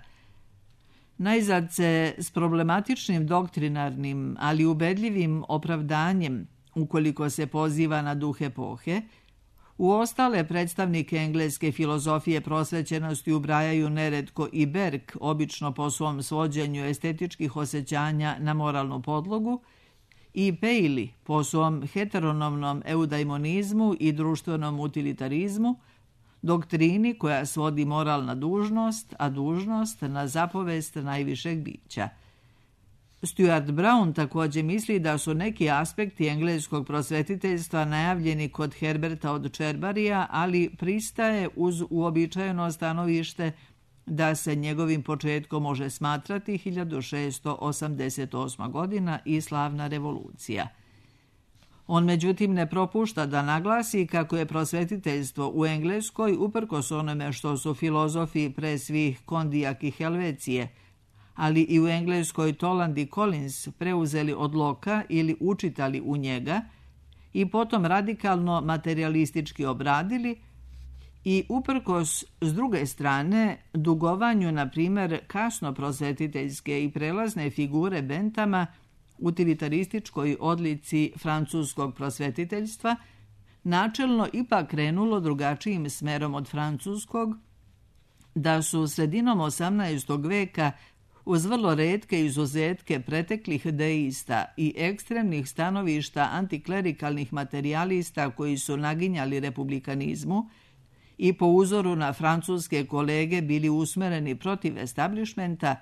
Najzad se s problematičnim doktrinarnim, ali ubedljivim opravdanjem, ukoliko se poziva na duh epohe, u ostale predstavnike engleske filozofije prosvećenosti ubrajaju neretko i Berg, obično po svom svođenju estetičkih osjećanja na moralnu podlogu, i Paley po svom heteronomnom eudaimonizmu i društvenom utilitarizmu, doktrini koja svodi moral na dužnost, a dužnost na zapovest najvišeg bića. Stuart Brown također misli da su neki aspekti engleskog prosvetiteljstva najavljeni kod Herberta od Cherburyja, ali pristaje uz uobičajeno stanovište da se njegovim početkom može smatrati 1688. godina i slavna revolucija. On međutim ne propušta da naglasi kako je prosvetiteljstvo u Engleskoj, uprkos onome što su filozofi pre svih Kondijak i Helvecije, ali i u Engleskoj Toland i Collins preuzeli od Locka ili učitali u njega i potom radikalno materialistički obradili, i uprkos s druge strane dugovanju, na primjer, kasno prosvetiteljske i prelazne figure Benthama, utilitarističkoj odlici francuskog prosvetiteljstva, načelno ipak krenulo drugačijim smerom od francuskog, da su sredinom 18. veka uz vrlo retke izuzetke preteklih deista i ekstremnih stanovišta antiklerikalnih materijalista koji su naginjali republikanizmu i po uzoru na francuske kolege bili usmereni protiv establishmenta,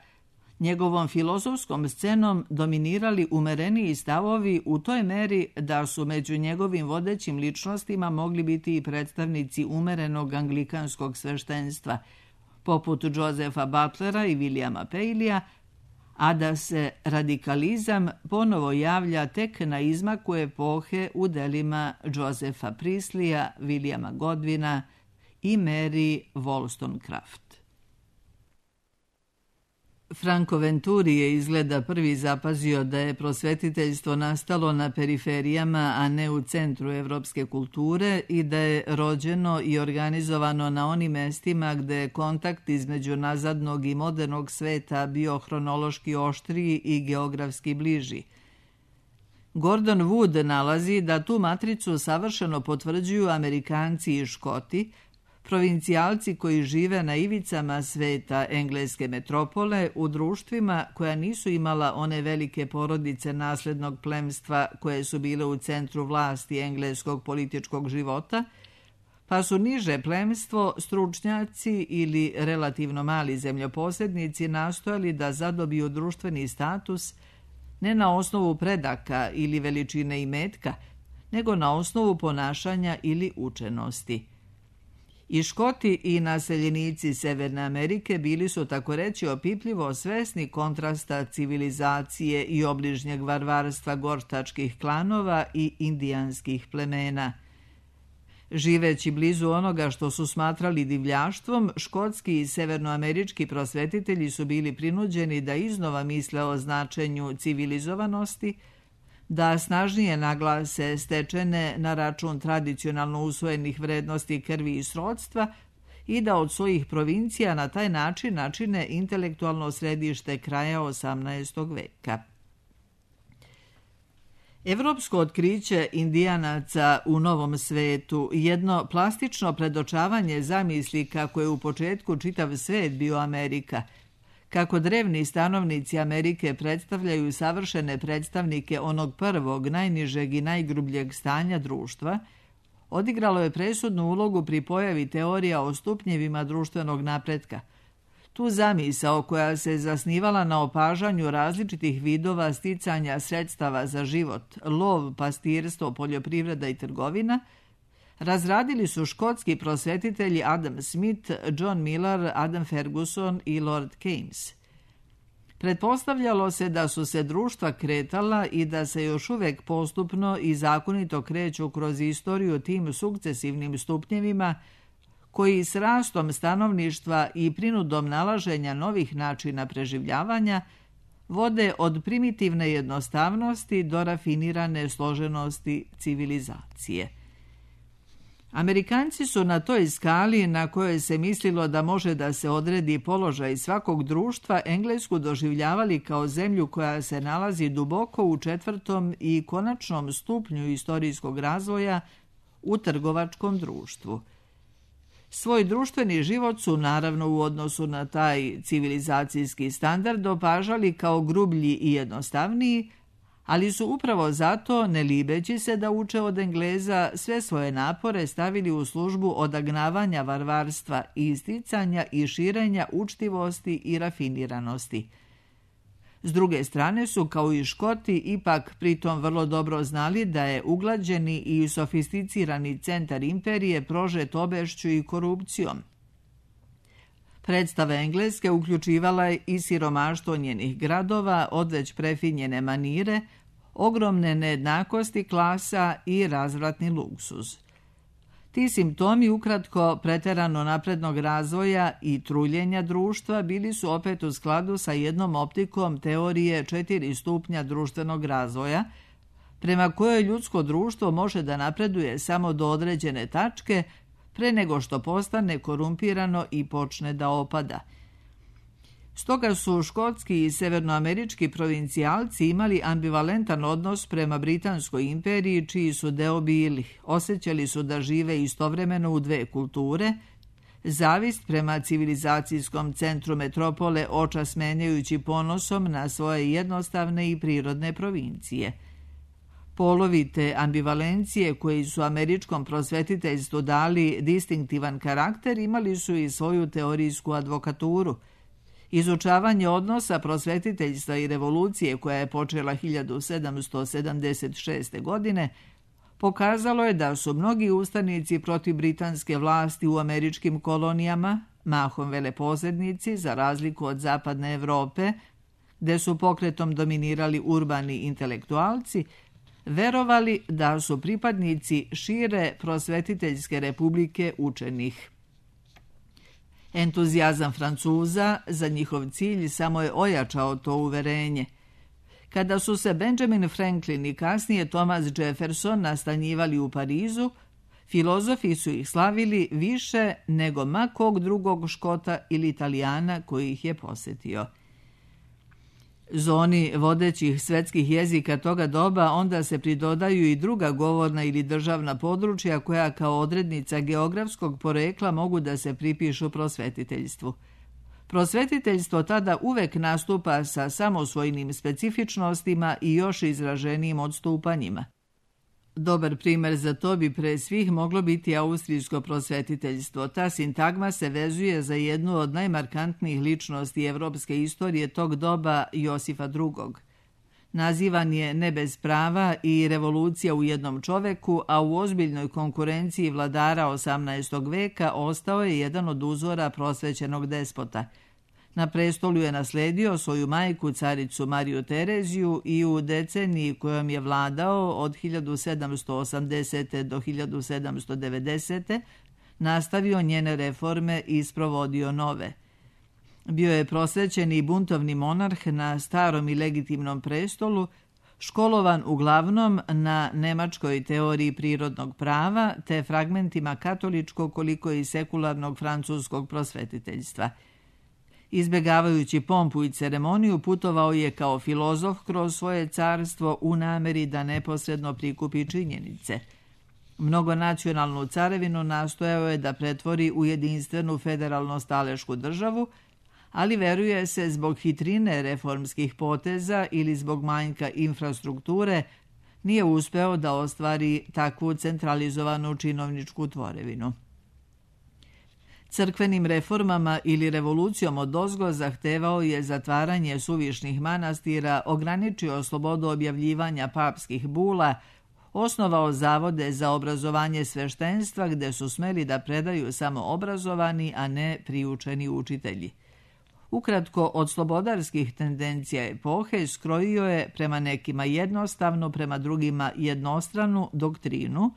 njegovom filozofskom scenom dominirali umereniji stavovi u toj meri da su među njegovim vodećim ličnostima mogli biti i predstavnici umerenog anglikanskog sveštenstva, poput Josepha Butlera i Williama Paleya, a da se radikalizam ponovo javlja tek na izmaku epohe u delima Josepha Priestleya, Williama Godwina i Mary Wollstonecraft. Franco Venturi je izgleda prvi zapazio da je prosvetiteljstvo nastalo na periferijama, a ne u centru evropske kulture, i da je rođeno i organizovano na onim mestima gde je kontakt između nazadnog i modernog sveta bio hronološki oštriji i geografski bliži. Gordon Wood nalazi da tu matricu savršeno potvrđuju Amerikanci i Škoti, provincijalci koji žive na ivicama sveta engleske metropole u društvima koja nisu imala one velike porodice naslednog plemstva koje su bile u centru vlasti engleskog političkog života, pa su niže plemstvo, stručnjaci ili relativno mali zemljoposjednici nastojali da zadobiju društveni status ne na osnovu predaka ili veličine imetka, nego na osnovu ponašanja ili učenosti. I Škoti i naseljenici Severne Amerike bili su tako reći opipljivo svesni kontrasta civilizacije i obližnjeg varvarstva gortačkih klanova i indijanskih plemena. Živeći blizu onoga što su smatrali divljaštvom, škotski i severnoamerički prosvetitelji su bili prinuđeni da iznova misle o značenju civilizovanosti, da snažnije naglase stečene na račun tradicionalno usvojenih vrednosti krvi i srodstva i da od svojih provincija na taj način načine intelektualno središte kraja 18. veka. Evropsko otkriće Indijanaca u Novom svetu, jedno plastično predočavanje zamisli kako je u početku čitav svet bio Amerika, kako drevni stanovnici Amerike predstavljaju savršene predstavnike onog prvog, najnižeg i najgrubljeg stanja društva, odigralo je presudnu ulogu pri pojavi teorija o stupnjevima društvenog napretka. Tu zamisao koja se zasnivala na opažanju različitih vidova sticanja sredstava za život, lov, pastirstvo, poljoprivreda i trgovina, razradili su škotski prosvetitelji Adam Smith, John Millar, Adam Ferguson i Lord Keynes. Pretpostavljalo se da su se društva kretala i da se još uvek postupno i zakonito kreću kroz istoriju tim sukcesivnim stupnjevima koji s rastom stanovništva i prinudom nalaženja novih načina preživljavanja vode od primitivne jednostavnosti do rafinirane složenosti civilizacije. Amerikanci su na toj skali na kojoj se mislilo da može da se odredi položaj svakog društva Englesku doživljavali kao zemlju koja se nalazi duboko u 4. i konačnom stupnju istorijskog razvoja u trgovačkom društvu. Svoj društveni život su naravno u odnosu na taj civilizacijski standard opažali kao grublji i jednostavniji, ali su upravo zato, ne libeći se da uče od Engleza, sve svoje napore stavili u službu odagnavanja varvarstva, isticanja i širenja učtivosti i rafiniranosti. S druge strane su, kao i Škoti, ipak pritom vrlo dobro znali da je uglađeni i sofisticirani centar imperije prožet obešću i korupcijom. Predstava Engleske uključivala je i siromaštvo njenih gradova, odveć prefinjene manire, ogromne nejednakosti klasa i razvratni luksuz. Ti simptomi ukratko preterano naprednog razvoja i truljenja društva bili su opet u skladu sa jednom optikom teorije 4 stupnja društvenog razvoja, prema kojoj ljudsko društvo može da napreduje samo do određene tačke pre nego što postane korumpirano i počne da opada. Stoga su škotski i severnoamerički provincijalci imali ambivalentan odnos prema Britanskoj imperiji, čiji su deo bili. Osjećali su da žive istovremeno u dve kulture, zavist prema civilizacijskom centru metropole očas menjajući ponosom na svoje jednostavne i prirodne provincije. Polovi te ambivalencije koji su američkom prosvetiteljstvu dali distinktivan karakter imali su i svoju teorijsku advokaturu. Izučavanje odnosa prosvetiteljstva i revolucije koja je počela 1776. godine pokazalo je da su mnogi ustanici protiv britanske vlasti u američkim kolonijama, mahom veleposrednici za razliku od zapadne Evrope, gde su pokretom dominirali urbani intelektualci, verovali da su pripadnici šire prosvetiteljske republike učenih. Entuzijazam Francuza za njihov cilj samo je ojačao to uverenje. Kada su se Benjamin Franklin i kasnije Thomas Jefferson nastanjivali u Parizu, filozofi su ih slavili više nego ma kog drugog Škota ili Italijana koji ih je posjetio. Zoni vodećih svetskih jezika toga doba onda se pridodaju i druga govorna ili državna područja koja kao odrednica geografskog porekla mogu da se pripišu prosvetiteljstvu. Prosvetiteljstvo tada uvek nastupa sa samosvojnim specifičnostima i još izraženijim odstupanjima. Dobar primer za to bi pre svih moglo biti austrijsko prosvetiteljstvo. Ta sintagma se vezuje za jednu od najmarkantnijih ličnosti evropske istorije tog doba, Josifa II. Nazivan je ne bez prava i revolucija u jednom čoveku, a u ozbiljnoj konkurenciji vladara 18. veka ostao je jedan od uzora prosvećenog despota. Na prestolu je nasledio svoju majku, caricu Mariju Tereziju, i u deceniji kojom je vladao od 1780. do 1790. nastavio njene reforme i sprovodio nove. Bio je prosvećeni i buntovni monarh na starom i legitimnom prestolu, školovan uglavnom na nemačkoj teoriji prirodnog prava te fragmentima katoličkog koliko i sekularnog francuskog prosvetiteljstva. Izbjegavajući pompu i ceremoniju, putovao je kao filozof kroz svoje carstvo u nameri da neposredno prikupi činjenice. Mnogonacionalnu carevinu nastojao je da pretvori u jedinstvenu federalno-stalešku državu, ali veruje se zbog hitrine reformskih poteza ili zbog manjka infrastrukture nije uspeo da ostvari takvu centralizovanu činovničku tvorevinu. Crkvenim reformama ili revolucijom odozgo zahtevao je zatvaranje suvišnih manastira, ograničio slobodu objavljivanja papskih bula, osnovao zavode za obrazovanje sveštenstva gde su smeli da predaju samo obrazovani, a ne priučeni učitelji. Ukratko, od slobodarskih tendencija epohe skrojio je prema nekima jednostavno, prema drugima jednostranu doktrinu,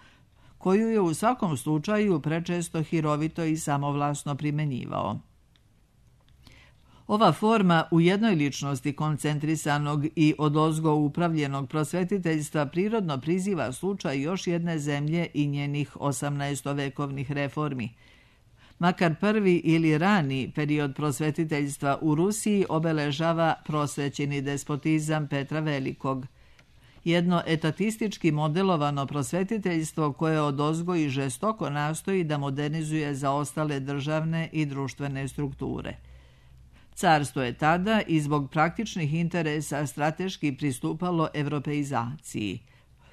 koju je u svakom slučaju prečesto hirovito i samovlasno primenjivao. Ova forma u jednoj ličnosti koncentrisanog i odozgo upravljenog prosvetiteljstva prirodno priziva slučaj još jedne zemlje i njenih 18-vekovnih reformi. Makar prvi ili rani period prosvetiteljstva u Rusiji obeležava prosvećeni despotizam Petra Velikog. Jedno etatistički modelovano prosvetiteljstvo koje odozgo i žestoko nastoji da modernizuje zaostale državne i društvene strukture. Carstvo je tada i zbog praktičnih interesa strateški pristupalo evropeizaciji.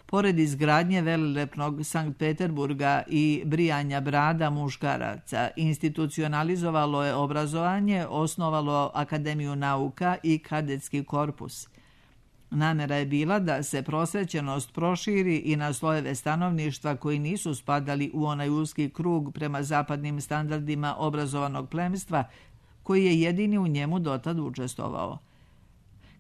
Pored izgradnje velelepnog Sankt Peterburga i brijanja brada muškaraca, institucionalizovalo je obrazovanje, osnovalo Akademiju nauka i kadetski korpus. Namjera je bila da se prosvećenost proširi i na slojeve stanovništva koji nisu spadali u onaj uski krug prema zapadnim standardima obrazovanog plemstva, koji je jedini u njemu dotad učestvovao.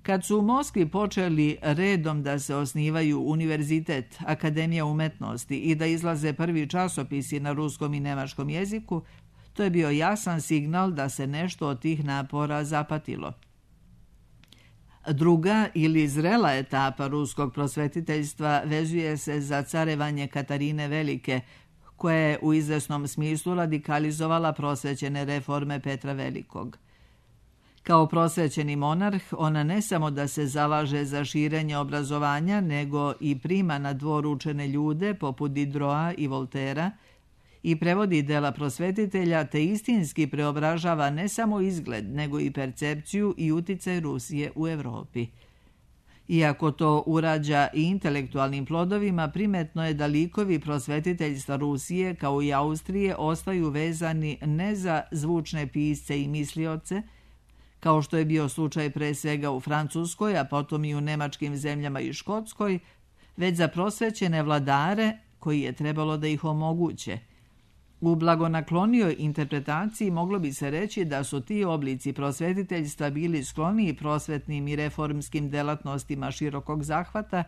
Kad su u Moskvi počeli redom da se osnivaju univerzitet, Akademija umetnosti i da izlaze prvi časopisi na ruskom i nemačkom jeziku, to je bio jasan signal da se nešto od tih napora zapatilo. Druga ili zrela etapa ruskog prosvetiteljstva vezuje se za carevanje Katarine Velike, koja je u izvesnom smislu radikalizovala prosvećene reforme Petra Velikog. Kao prosvećeni monarh, ona ne samo da se zalaže za širenje obrazovanja, nego i prima na dvor učene ljude poput Diderota i Voltera i prevodi dela prosvetitelja te istinski preobražava ne samo izgled, nego i percepciju i uticaj Rusije u Evropi. Iako to urađa i intelektualnim plodovima, primetno je da likovi prosvetiteljstva Rusije, kao i Austrije, ostaju vezani ne za zvučne pisce i mislioce, kao što je bio slučaj pre svega u Francuskoj, a potom i u nemačkim zemljama i Škotskoj, već za prosvećene vladare koji je trebalo da ih omoguće. U blagonaklonijoj interpretaciji moglo bi se reći da su ti oblici prosvetiteljstva bili skloniji prosvetnim i reformskim delatnostima širokog zahvata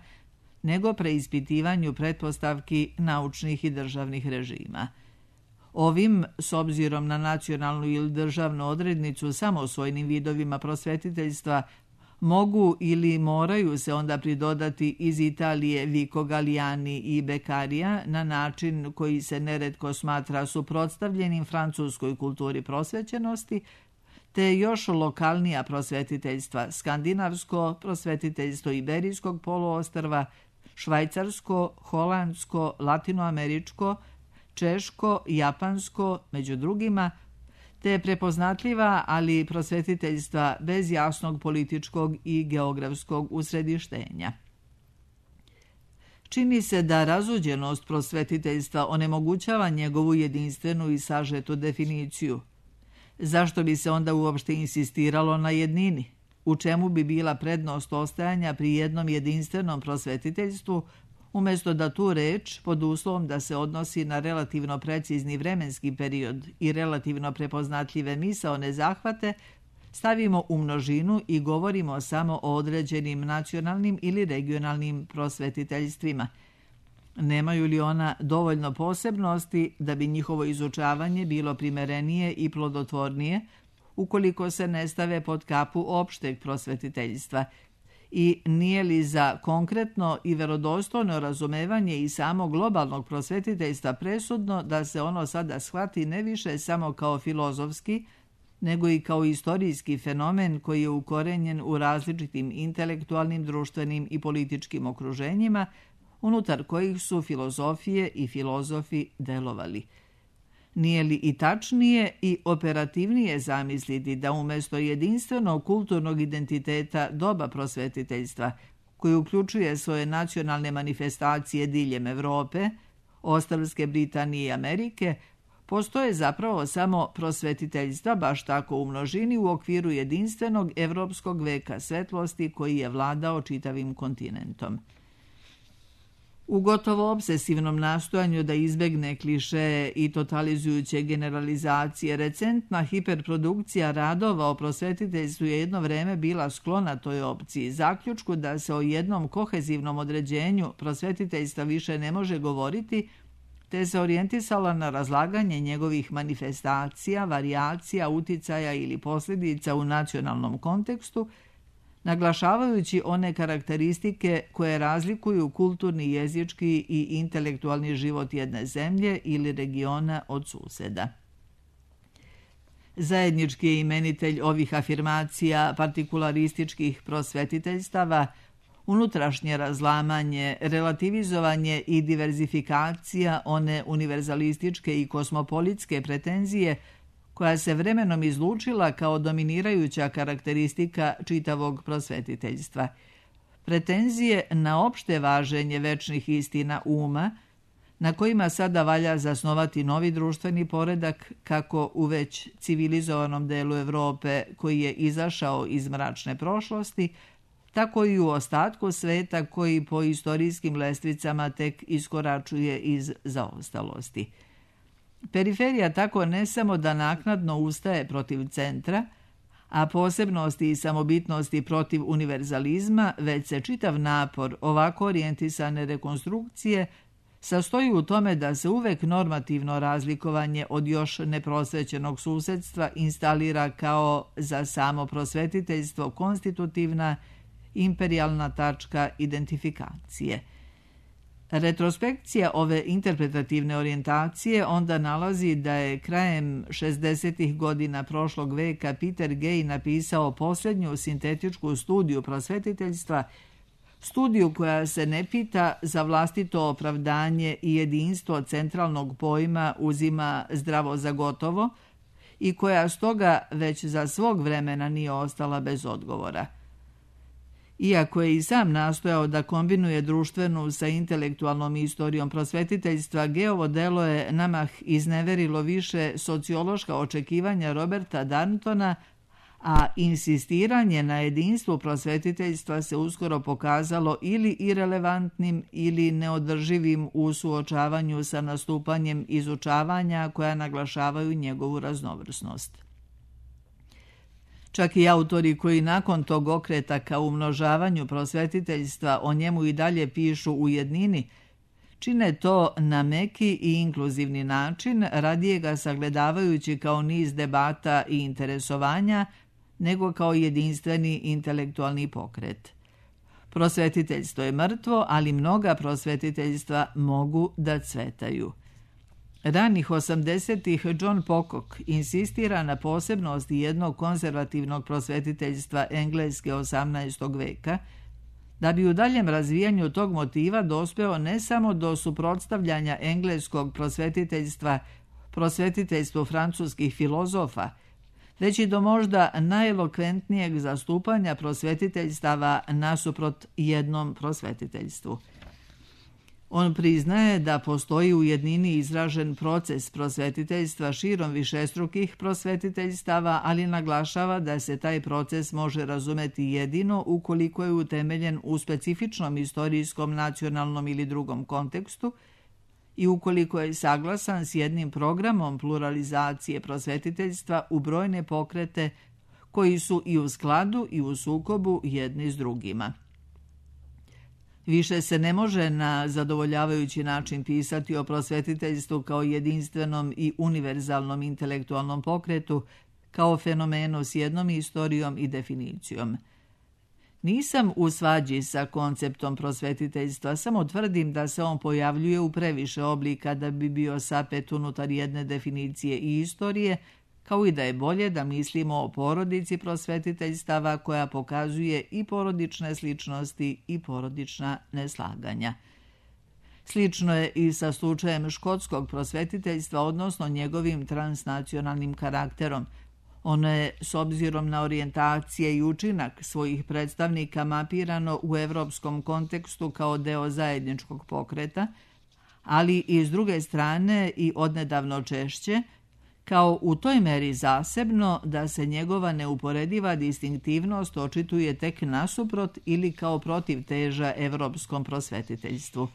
nego preispitivanju pretpostavki naučnih i državnih režima. Ovim, s obzirom na nacionalnu ili državnu odrednicu samosvojnim vidovima prosvetiteljstva, mogu ili moraju se onda pridodati iz Italije Vico Galliani i Beccaria na način koji se neretko smatra suprotstavljenim francuskoj kulturi prosvećenosti, te još lokalnija prosvetiteljstva, skandinavsko prosvetiteljstvo Iberijskog poluostrva, švajcarsko, holandsko, latinoameričko, češko, japansko, među drugima, te prepoznatljiva, ali prosvetiteljstva bez jasnog političkog i geografskog usredištenja. Čini se da razuđenost prosvetiteljstva onemogućava njegovu jedinstvenu i sažetu definiciju. Zašto bi se onda uopšte insistiralo na jednini? U čemu bi bila prednost ostajanja pri jednom jedinstvenom prosvetiteljstvu, umjesto da tu reč, pod uslovom da se odnosi na relativno precizni vremenski period i relativno prepoznatljive misaone zahvate, stavimo u množinu i govorimo samo o određenim nacionalnim ili regionalnim prosvetiteljstvima. Nemaju li ona dovoljno posebnosti da bi njihovo izučavanje bilo primerenije i plodotvornije, ukoliko se ne stave pod kapu opšteg prosvetiteljstva, i nije li za konkretno i verodostojno razumevanje i samo globalnog prosvetiteljstva presudno da se ono sada shvati ne više samo kao filozofski, nego i kao istorijski fenomen koji je ukorenjen u različitim intelektualnim, društvenim i političkim okruženjima, unutar kojih su filozofije i filozofi delovali. Nije li i tačnije i operativnije zamisliti da umjesto jedinstvenog kulturnog identiteta doba prosvetiteljstva, koji uključuje svoje nacionalne manifestacije diljem Evrope, ostrvske Britanije i Amerike, postoje zapravo samo prosvetiteljstva, baš tako u množini, u okviru jedinstvenog evropskog veka svetlosti koji je vladao čitavim kontinentom. U gotovo obsesivnom nastojanju da izbegne klišeje i totalizujuće generalizacije, recentna hiperprodukcija radova o prosvetiteljstvu je jedno vreme bila sklona toj opciji, zaključku da se o jednom kohezivnom određenju prosvetiteljstva više ne može govoriti, te se orijentisala na razlaganje njegovih manifestacija, varijacija, uticaja ili posljedica u nacionalnom kontekstu, naglašavajući one karakteristike koje razlikuju kulturni, jezički i intelektualni život jedne zemlje ili regiona od suseda. Zajednički je imenitelj ovih afirmacija partikularističkih prosvetiteljstava unutrašnje razlamanje, relativizovanje i diverzifikacija one univerzalističke i kosmopolitske pretenzije koja se vremenom izlučila kao dominirajuća karakteristika čitavog prosvetiteljstva. Pretenzije na opšte važenje večnih istina uma, na kojima sada valja zasnovati novi društveni poredak kako u već civilizovanom delu Evrope koji je izašao iz mračne prošlosti, tako i u ostatku sveta koji po istorijskim lestvicama tek iskoračuje iz zaostalosti. Periferija tako ne samo da naknadno ustaje protiv centra, a posebnosti i samobitnosti protiv univerzalizma, već se čitav napor ovako orijentisane rekonstrukcije sastoji u tome da se uvek normativno razlikovanje od još neprosvećenog susedstva instalira kao za samo prosvetiteljstvo konstitutivna imperijalna tačka identifikacije. Retrospekcija ove interpretativne orijentacije onda nalazi da je krajem 60. godina prošlog veka Peter Gay napisao posljednju sintetičku studiju prosvetiteljstva, studiju koja se ne pita za vlastito opravdanje i jedinstvo centralnog pojma uzima zdravo za gotovo i koja stoga već za svog vremena nije ostala bez odgovora. Iako je i sam nastojao da kombinuje društvenu sa intelektualnom istorijom prosvetiteljstva, Gayovo delo je namah izneverilo više sociološka očekivanja Roberta Darntona, a insistiranje na jedinstvu prosvetiteljstva se uskoro pokazalo ili irelevantnim ili neodrživim u suočavanju sa nastupanjem izučavanja koja naglašavaju njegovu raznovrsnost. Čak i autori koji nakon tog okreta ka umnožavanju prosvetiteljstva o njemu i dalje pišu u jednini, čine to na meki i inkluzivni način, radije ga sagledavajući kao niz debata i interesovanja, nego kao jedinstveni intelektualni pokret. Prosvetiteljstvo je mrtvo, ali mnoga prosvetiteljstva mogu da cvetaju. Ranih 80-ih John Pocock insistira na posebnosti jednog konzervativnog prosvetiteljstva Engleske 18. veka, da bi u daljem razvijanju tog motiva dospeo ne samo do suprotstavljanja engleskog prosvetiteljstva prosvetiteljstvu francuskih filozofa, već i do možda najelokventnijeg zastupanja prosvetiteljstava nasuprot jednom prosvetiteljstvu. On priznaje da postoji u jednini izražen proces prosvetiteljstva širom višestrukih prosvetiteljstava, ali naglašava da se taj proces može razumeti jedino ukoliko je utemeljen u specifičnom istorijskom, nacionalnom ili drugom kontekstu i ukoliko je saglasan s jednim programom pluralizacije prosvetiteljstva u brojne pokrete koji su i u skladu i u sukobu jedni s drugima. Više se ne može na zadovoljavajući način pisati o prosvetiteljstvu kao jedinstvenom i univerzalnom intelektualnom pokretu, kao fenomenu s jednom istorijom i definicijom. Nisam u svađi sa konceptom prosvetiteljstva, samo tvrdim da se on pojavljuje u previše oblika da bi bio sapet unutar jedne definicije i istorije, kao i da je bolje da mislimo o porodici prosvetiteljstava koja pokazuje i porodične sličnosti i porodična neslaganja. Slično je i sa slučajem škotskog prosvetiteljstva, odnosno njegovim transnacionalnim karakterom. Ono je, s obzirom na orijentacije i učinak svojih predstavnika, mapirano u evropskom kontekstu kao deo zajedničkog pokreta, ali i s druge strane i odnedavno češće, kao u toj meri zasebno da se njegova neuporediva distinktivnost očituje tek nasuprot ili kao protivteža evropskom prosvetiteljstvu.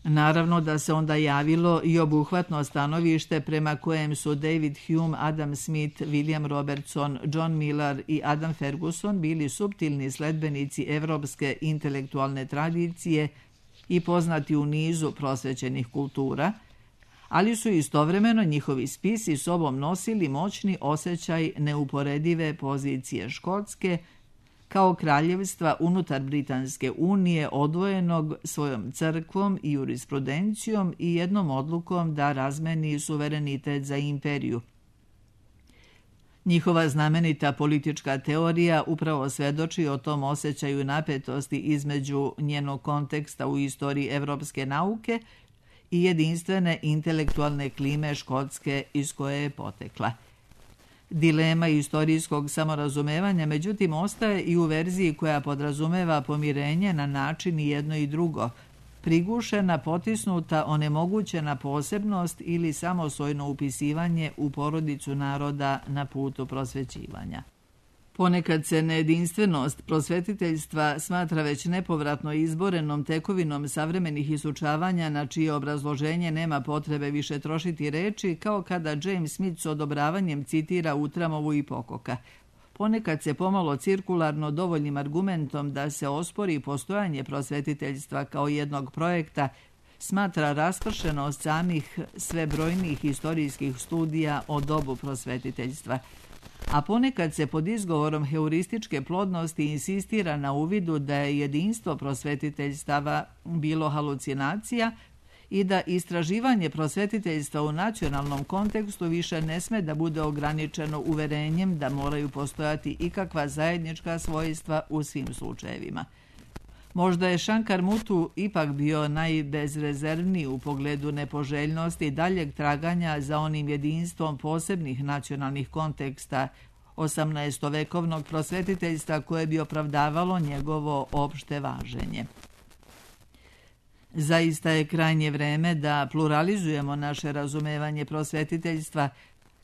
Naravno da se onda javilo i obuhvatno stanovište prema kojem su David Hume, Adam Smith, William Robertson, John Millar i Adam Ferguson bili suptilni sledbenici evropske intelektualne tradicije i poznati u nizu prosvećenih kultura, ali su istovremeno njihovi spisi sobom nosili moćni osjećaj neuporedive pozicije Škotske kao kraljevstva unutar Britanske unije odvojenog svojom crkvom i jurisprudencijom i jednom odlukom da razmeni suverenitet za imperiju. Njihova znamenita politička teorija upravo svedoči o tom osjećaju napetosti između njenog konteksta u istoriji evropske nauke i jedinstvene intelektualne klime Škotske iz koje je potekla. Dilema istorijskog samorazumevanja, međutim, ostaje i u verziji koja podrazumeva pomirenje na način i jedno i drugo, prigušena, potisnuta, onemogućena posebnost ili samosvojno upisivanje u porodicu naroda na putu prosvećivanja. Ponekad se nejedinstvenost prosvetiteljstva smatra već nepovratno izborenom tekovinom savremenih isučavanja na čije obrazloženje nema potrebe više trošiti reči, kao kada James Smith s odobravanjem citira Utramovu i Pocock'a. Ponekad se pomalo cirkularno dovoljnim argumentom da se ospori postojanje prosvetiteljstva kao jednog projekta smatra raspršenost samih sve brojnijih istorijskih studija o dobu prosvetiteljstva, a ponekad se pod izgovorom heurističke plodnosti insistira na uvidu da je jedinstvo prosvetiteljstava bilo halucinacija i da istraživanje prosvetiteljstva u nacionalnom kontekstu više ne sme da bude ograničeno uverenjem da moraju postojati ikakva zajednička svojstva u svim slučajevima. Možda je Shankar Muthu ipak bio najbezrezervniji u pogledu nepoželjnosti daljeg traganja za onim jedinstvom posebnih nacionalnih konteksta 18-vekovnog prosvetiteljstva koje bi opravdavalo njegovo opšte važenje. Zaista je krajnje vreme da pluralizujemo naše razumevanje prosvetiteljstva,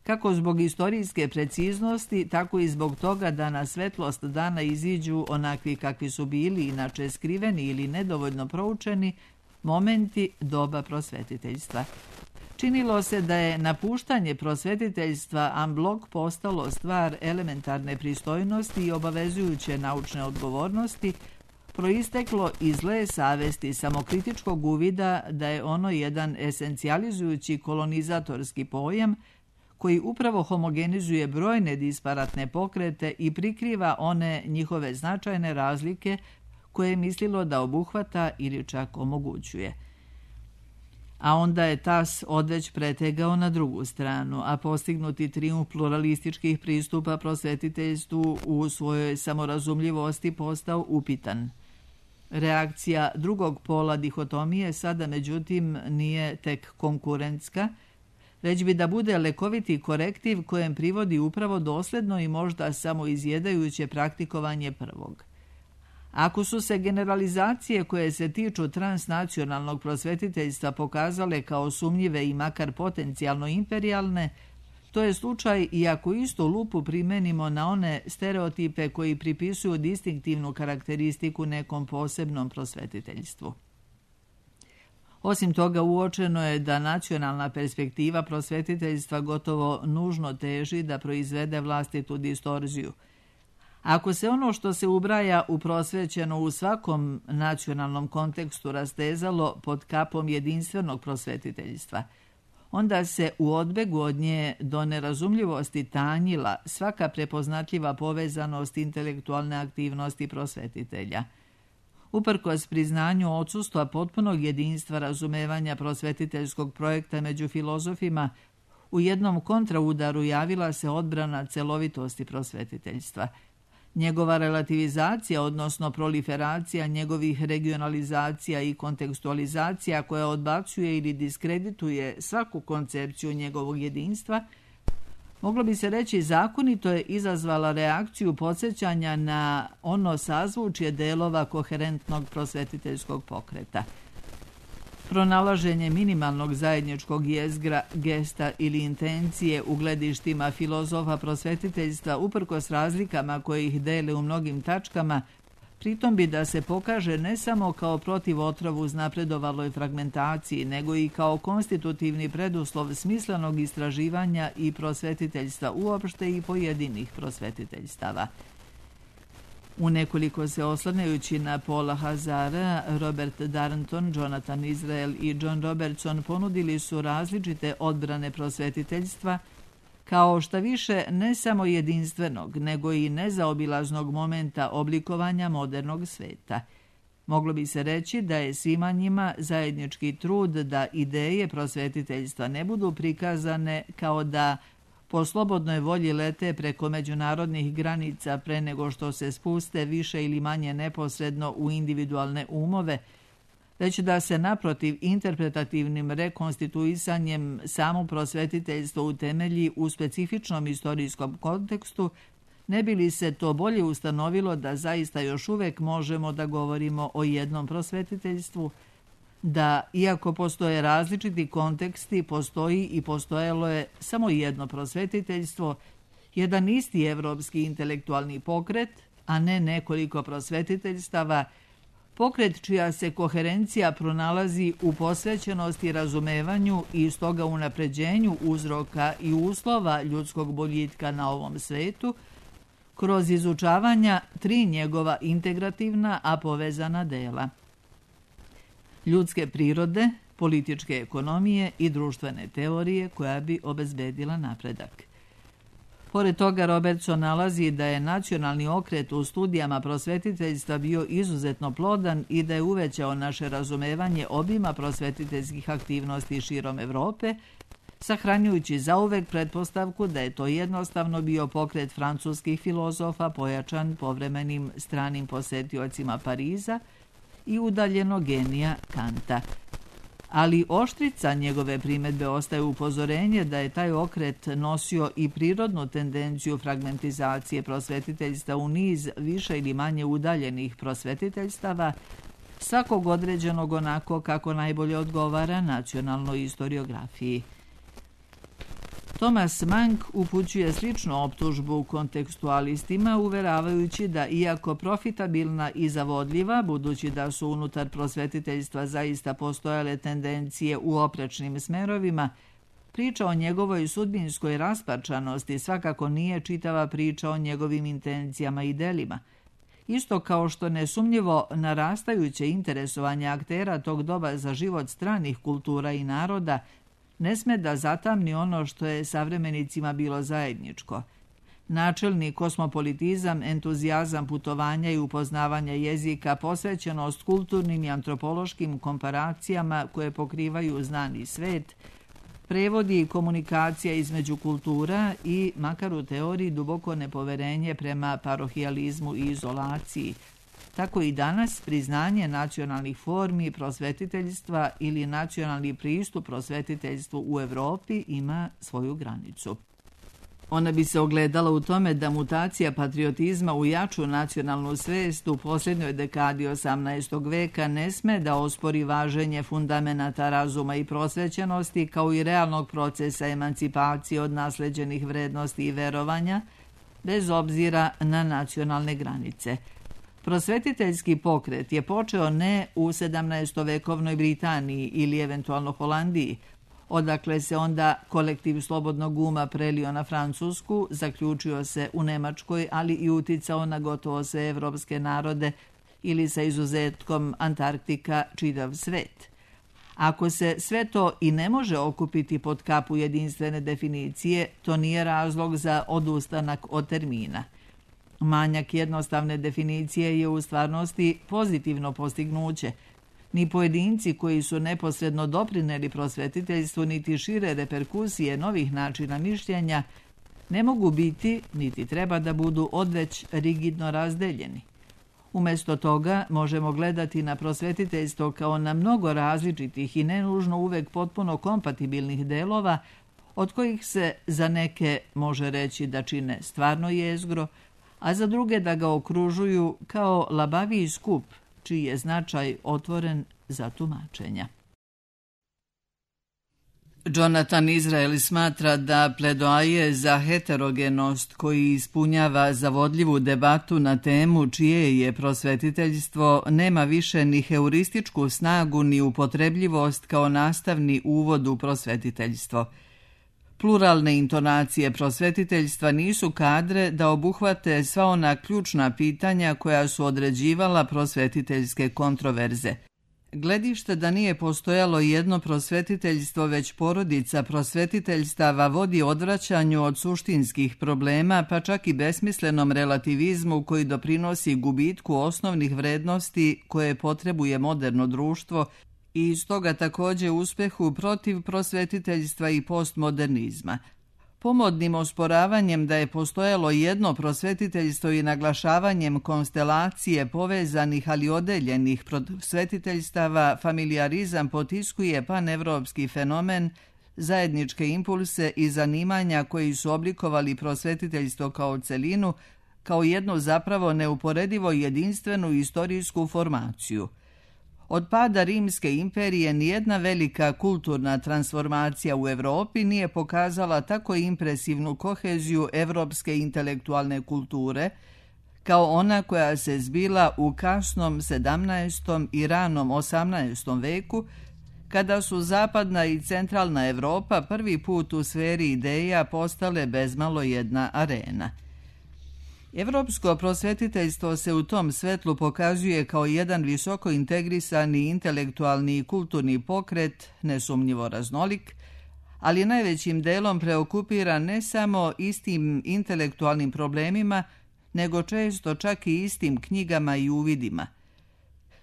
kako zbog istorijske preciznosti, tako i zbog toga da na svetlost dana iziđu onakvi kakvi su bili, inače skriveni ili nedovoljno proučeni, momenti doba prosvetiteljstva. Činilo se da je napuštanje prosvetiteljstva en bloc postalo stvar elementarne pristojnosti i obavezujuće naučne odgovornosti, proisteklo iz zle savesti samokritičkog uvida da je ono jedan esencijalizujući kolonizatorski pojam koji upravo homogenizuje brojne disparatne pokrete i prikriva one njihove značajne razlike koje je mislilo da obuhvata ili čak omogućuje. A onda je tas odveć pretegao na drugu stranu, a postignuti trijumf pluralističkih pristupa prosvetiteljstvu u svojoj samorazumljivosti postao upitan. Reakcija drugog pola dihotomije sada, međutim, nije tek konkurentska, već bi da bude lekoviti korektiv kojem privodi upravo dosledno i možda samo izjedajuće praktikovanje prvog. Ako su se generalizacije koje se tiču transnacionalnog prosvetiteljstva pokazale kao sumnjive i makar potencijalno imperijalne, to je slučaj i ako istu lupu primenimo na one stereotipe koji pripisuju distinktivnu karakteristiku nekom posebnom prosvetiteljstvu. Osim toga, uočeno je da nacionalna perspektiva prosvetiteljstva gotovo nužno teži da proizvede vlastitu distorziju. Ako se ono što se ubraja u prosvećeno u svakom nacionalnom kontekstu rastezalo pod kapom jedinstvenog prosvetiteljstva, onda se u odbegu od nje do nerazumljivosti tanjila svaka prepoznatljiva povezanost intelektualne aktivnosti prosvetitelja. Uprkos priznanju odsustva potpunog jedinstva razumevanja prosvetiteljskog projekta među filozofima, u jednom kontraudaru javila se odbrana celovitosti prosvetiteljstva. Njegova relativizacija, odnosno proliferacija njegovih regionalizacija i kontekstualizacija koja odbacuje ili diskredituje svaku koncepciju njegovog jedinstva, moglo bi se reći zakonito je izazvala reakciju podsjećanja na ono sazvučje delova koherentnog prosvetiteljskog pokreta. Pronalaženje minimalnog zajedničkog jezgra, gesta ili intencije u gledištima filozofa prosvetiteljstva uprkos razlikama koje ih dele u mnogim tačkama, pritom bi da se pokaže ne samo kao protiv otrovu uznapredovaloj fragmentaciji, nego i kao konstitutivni preduslov smislenog istraživanja i prosvetiteljstva uopšte i pojedinih prosvetiteljstava. U nekoliko se oslanjajući na Paula Hazara, Robert Darnton, Jonathan Israel i John Robertson ponudili su različite odbrane prosvetiteljstva, kao šta više ne samo jedinstvenog, nego i nezaobilaznog momenta oblikovanja modernog sveta. Moglo bi se reći da je svima njima zajednički trud da ideje prosvetiteljstva ne budu prikazane kao da po slobodnoj volji lete preko međunarodnih granica pre nego što se spuste više ili manje neposredno u individualne umove, već da se naprotiv interpretativnim rekonstituisanjem samo prosvetiteljstvo utemelji u specifičnom istorijskom kontekstu, ne bi li se to bolje ustanovilo da zaista još uvek možemo da govorimo o jednom prosvetiteljstvu, da, iako postoje različiti konteksti, postoji i postojalo je samo jedno prosvetiteljstvo, jedan isti evropski intelektualni pokret, a ne nekoliko prosvetiteljstava, pokret čija se koherencija pronalazi u posvećenosti razumevanju i stoga unapređenju uzroka i uslova ljudskog boljitka na ovom svetu, kroz izučavanja 3 njegova integrativna, a povezana dela: ljudske prirode, političke ekonomije i društvene teorije koja bi obezbedila napredak. Pored toga, Robertson nalazi da je nacionalni okret u studijama prosvetiteljstva bio izuzetno plodan i da je uvećao naše razumevanje obima prosvetiteljskih aktivnosti širom Evrope, sahranjujući zauvek pretpostavku da je to jednostavno bio pokret francuskih filozofa pojačan povremenim stranim posetiocima Pariza i udaljenog genija Kanta. Ali oštrica njegove primedbe ostaje upozorenje da je taj okret nosio i prirodnu tendenciju fragmentizacije prosvetiteljstva u niz više ili manje udaljenih prosvetiteljstava, svakog određenog onako kako najbolje odgovara nacionalnoj istoriografiji. Thomas Mank upućuje sličnu optužbu kontekstualistima, uveravajući da, iako profitabilna i zavodljiva, budući da su unutar prosvetiteljstva zaista postojale tendencije u oprečnim smerovima, priča o njegovoj sudbinskoj rasparčanosti svakako nije čitava priča o njegovim intencijama i delima. Isto kao što nesumnjivo narastajuće interesovanje aktera tog doba za život stranih kultura i naroda ne sme da zatamni ono što je savremenicima bilo zajedničko: načelni kosmopolitizam, entuzijazam putovanja i upoznavanja jezika, posvećenost kulturnim i antropološkim komparacijama koje pokrivaju znani svet, prevodi i komunikacija između kultura i, makar u teoriji, duboko nepoverenje prema parohijalizmu i izolaciji. Tako i danas priznanje nacionalnih formi prosvetiteljstva ili nacionalni pristup prosvetiteljstvu u Evropi ima svoju granicu. Ona bi se ogledala u tome da mutacija patriotizma u jaču nacionalnu svest u posljednjoj dekadi 18. veka ne sme da ospori važenje fundamenata razuma i prosvećenosti, kao i realnog procesa emancipacije od nasleđenih vrednosti i verovanja, bez obzira na nacionalne granice. Prosvetiteljski pokret je počeo ne u 17-vekovnoj Britaniji ili eventualno Holandiji, odakle se onda kolektiv slobodnog uma prelio na Francusku, zaključio se u Nemačkoj, ali i uticao na gotovo sve evropske narode ili sa izuzetkom Antarktika čitav svet. Ako se sve to i ne može okupiti pod kapu jedinstvene definicije, to nije razlog za odustanak od termina. Manjak jednostavne definicije je u stvarnosti pozitivno postignuće. Ni pojedinci koji su neposredno doprineli prosvetiteljstvu, niti šire reperkusije novih načina mišljenja ne mogu biti, niti treba da budu odveć rigidno razdeljeni. Umjesto toga možemo gledati na prosvetiteljstvo kao na mnogo različitih i nenužno uvek potpuno kompatibilnih delova, od kojih se za neke može reći da čine stvarno jezgro, a za druge da ga okružuju kao labaviji skup, čiji je značaj otvoren za tumačenja. Jonathan Israel smatra da pledoaje za heterogenost koji ispunjava zavodljivu debatu na temu čije je prosvetiteljstvo nema više ni heurističku snagu ni upotrebljivost kao nastavni uvod u prosvetiteljstvo. Pluralne intonacije prosvetiteljstva nisu kadre da obuhvate sva ona ključna pitanja koja su određivala prosvetiteljske kontroverze. Gledište da nije postojalo jedno prosvetiteljstvo, već porodica prosvetiteljstava vodi odvraćanju od suštinskih problema, pa čak i besmislenom relativizmu koji doprinosi gubitku osnovnih vrednosti koje potrebuje moderno društvo i stoga također uspehu protiv prosvetiteljstva i postmodernizma. pomodnim osporavanjem da je postojalo jedno prosvetiteljstvo i naglašavanjem konstelacije povezanih ali odeljenih prosvetiteljstava, familijarizam potiskuje panevropski fenomen, zajedničke impulse i zanimanja koji su oblikovali prosvetiteljstvo kao celinu, kao jednu zapravo neuporedivo jedinstvenu istorijsku formaciju. Od pada Rimske imperije nijedna velika kulturna transformacija u Evropi nije pokazala tako impresivnu koheziju evropske intelektualne kulture, kao ona koja se zbila u kasnom 17. i ranom 18. veku, kada su zapadna i centralna Evropa prvi put u sferi ideja postale bezmalo jedna arena. Evropsko prosvetiteljstvo se u tom svetlu pokazuje kao jedan visoko integrisani intelektualni i kulturni pokret, nesumnjivo raznolik, ali najvećim delom preokupira ne samo istim intelektualnim problemima, nego često čak i istim knjigama i uvidima.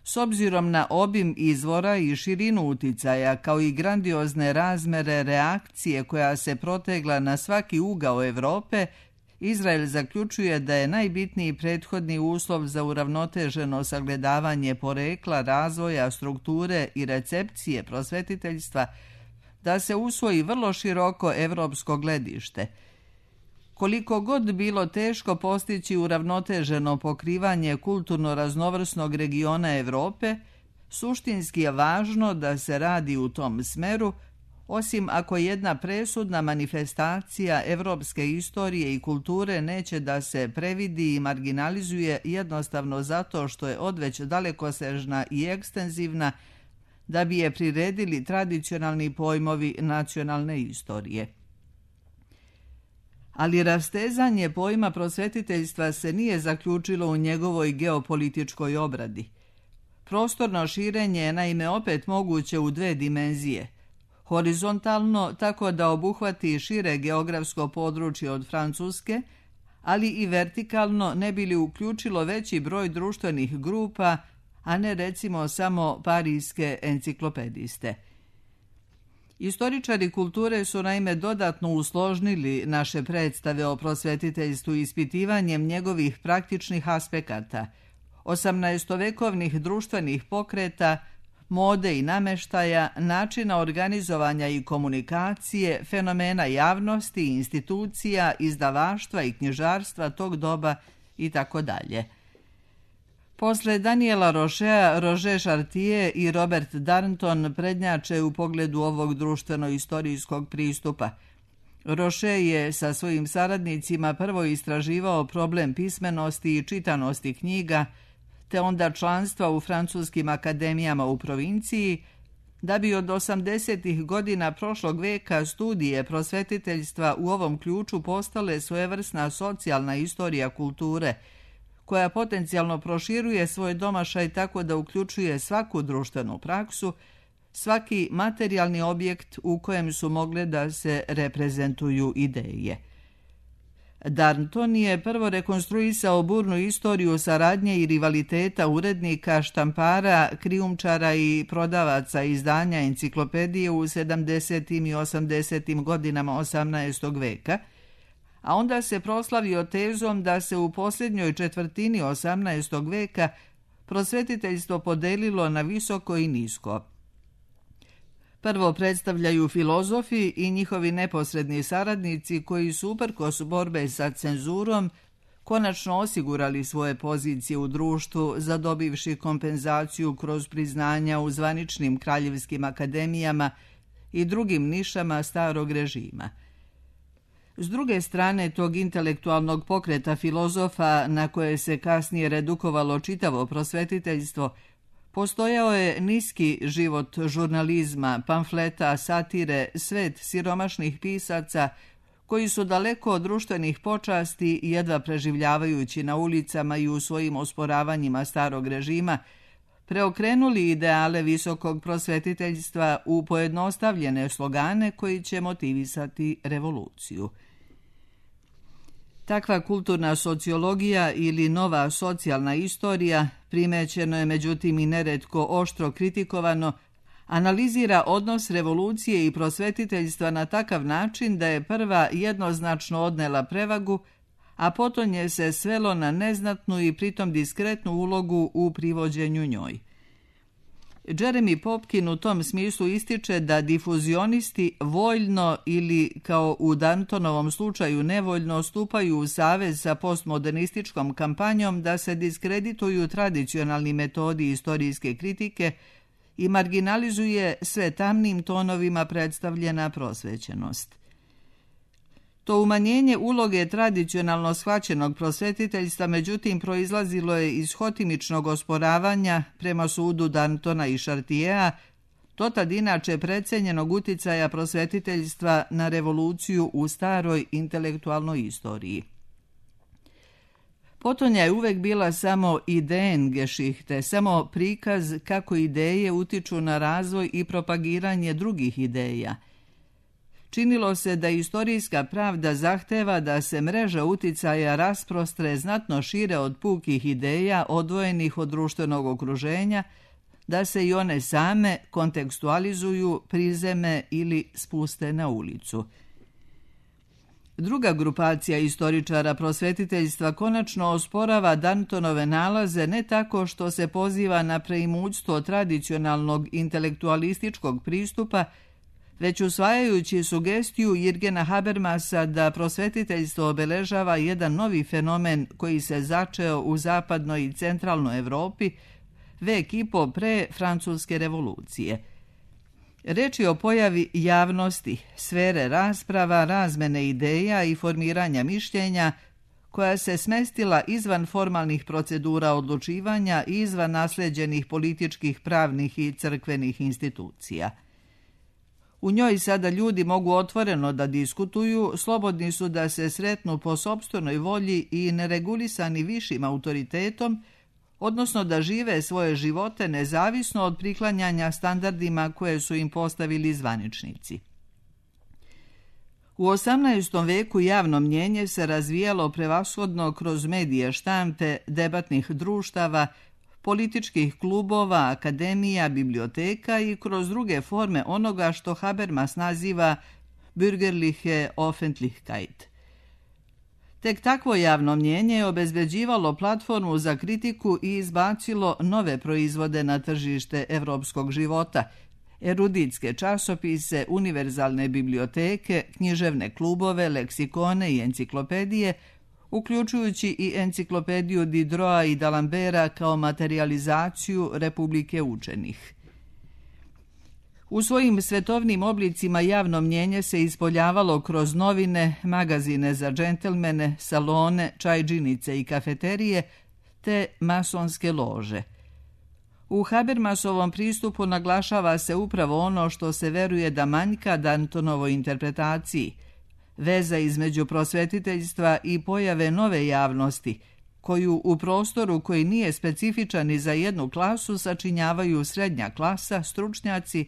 S obzirom na obim izvora i širinu uticaja, kao i grandiozne razmere reakcije koja se protegla na svaki ugao Evrope, Izrael zaključuje da je najbitniji prethodni uslov za uravnoteženo sagledavanje porekla, razvoja, strukture i recepcije prosvetiteljstva da se usvoji vrlo široko evropsko gledište. Koliko god bilo teško postići uravnoteženo pokrivanje kulturno raznovrsnog regiona Evrope, suštinski je važno da se radi u tom smeru, osim ako jedna presudna manifestacija evropske istorije i kulture neće da se previdi i marginalizuje jednostavno zato što je odveć dalekosežna i ekstenzivna, da bi je priredili tradicionalni pojmovi nacionalne istorije. Ali rastezanje pojma prosvetiteljstva se nije zaključilo u njegovoj geopolitičkoj obradi. Prostorno širenje je naime opet moguće u dve dimenzije. Horizontalno, tako da obuhvati šire geografsko područje od Francuske, ali i vertikalno ne bi li uključilo veći broj društvenih grupa, a ne recimo samo parijske enciklopediste. Istoričari kulture su naime dodatno usložnili naše predstave o prosvetiteljstvu ispitivanjem njegovih praktičnih aspekata, 18-vekovnih društvenih pokreta, mode i nameštaja, načina organizovanja i komunikacije, fenomena javnosti, institucija, izdavaštva i knjižarstva tog doba itd. Posle Daniela Rochea, Roger Chartier i Robert Darnton prednjače u pogledu ovog društveno-istorijskog pristupa. Rocher je sa svojim saradnicima prvo istraživao problem pismenosti i čitanosti knjiga, te onda članstva u francuskim akademijama u provinciji, da bi od 80. godina prošlog veka studije prosvetiteljstva u ovom ključu postale svojevrsna socijalna istorija kulture, koja potencijalno proširuje svoj domašaj tako da uključuje svaku društvenu praksu, svaki materijalni objekt u kojem su mogle da se reprezentuju ideje. Darnton je prvo rekonstruisao burnu istoriju saradnje i rivaliteta urednika, štampara, krijumčara i prodavaca izdanja enciklopedije u 70. i 80. godinama 18. veka, a onda se proslavio tezom da se u posljednjoj četvrtini 18. veka prosvetiteljstvo podelilo na visoko i nisko. Prvo predstavljaju filozofi i njihovi neposredni saradnici koji su uprkos borbe sa cenzurom konačno osigurali svoje pozicije u društvu, zadobivši kompenzaciju kroz priznanja u zvaničnim kraljevskim akademijama i drugim nišama starog režima. S druge strane tog intelektualnog pokreta filozofa na koje se kasnije redukovalo čitavo prosvetiteljstvo, postojao je niski život žurnalizma, pamfleta, satire, svet siromašnih pisaca koji su daleko od društvenih počasti, jedva preživljavajući na ulicama i u svojim osporavanjima starog režima, preokrenuli ideale visokog prosvetiteljstva u pojednostavljene slogane koji će motivisati revoluciju. Takva kulturna sociologija ili nova socijalna istorija primećeno je međutim i neretko oštro kritikovano, analizira odnos revolucije i prosvetiteljstva na takav način da je prva jednoznačno odnela prevagu, a potom je se svelo na neznatnu i pritom diskretnu ulogu u privođenju njoj. Jeremy Popkin u tom smislu ističe da difuzionisti voljno ili, kao u Dantonovom slučaju, nevoljno stupaju u savez sa postmodernističkom kampanjom da se diskredituju tradicionalni metodi istorijske kritike i marginalizuje sve tamnim tonovima predstavljena prosvećenost. To umanjenje uloge tradicionalno shvaćenog prosvetiteljstva međutim proizlazilo je iz hotimičnog osporavanja prema sudu Dantona i Chartierea, to tad inače precenjenog uticaja prosvetiteljstva na revoluciju u staroj intelektualnoj istoriji. Potonja je uvek bila samo Ideengeschichte, samo prikaz kako ideje utiču na razvoj i propagiranje drugih ideja. Činilo se da istorijska pravda zahteva da se mreža uticaja rasprostre znatno šire od pukih ideja odvojenih od društvenog okruženja, da se i one same kontekstualizuju, prizeme ili spuste na ulicu. Druga grupacija istoričara prosvetiteljstva konačno osporava Dantonove nalaze ne tako što se poziva na preimućstvo tradicionalnog intelektualističkog pristupa, već usvajajući sugestiju Jürgena Habermasa da prosvetiteljstvo obeležava jedan novi fenomen koji se začeo u zapadnoj i centralnoj Evropi vek i po pre Francuske revolucije. Reč je o pojavi javnosti, sfere rasprava, razmene ideja i formiranja mišljenja koja se smestila izvan formalnih procedura odlučivanja i izvan nasleđenih političkih, pravnih i crkvenih institucija. U njoj sada ljudi mogu otvoreno da diskutuju, slobodni su da se sretnu po sopstvenoj volji i neregulisani višim autoritetom, odnosno da žive svoje živote nezavisno od priklanjanja standardima koje su im postavili zvaničnici. U 18. veku javno mnjenje se razvijalo prevashodno kroz medije štampe, debatnih društava, političkih klubova, akademija, biblioteka i kroz druge forme onoga što Habermas naziva bürgerliche Öffentlichkeit. Tek takvo javno mnjenje je obezbeđivalo platformu za kritiku i izbacilo nove proizvode na tržište evropskog života, eruditske časopise, univerzalne biblioteke, književne klubove, leksikone i enciklopedije, uključujući i enciklopediju Diderota i D'Alembera kao materializaciju Republike učenih. U svojim svetovnim oblicima javno mnjenje se ispoljavalo kroz novine, magazine za džentelmene, salone, čajđinice i kafeterije, te masonske lože. U Habermasovom pristupu naglašava se upravo ono što se veruje da manjka Dantonovoj interpretaciji, veza između prosvetiteljstva i pojave nove javnosti, koju u prostoru koji nije specifičan ni za jednu klasu sačinjavaju srednja klasa, stručnjaci,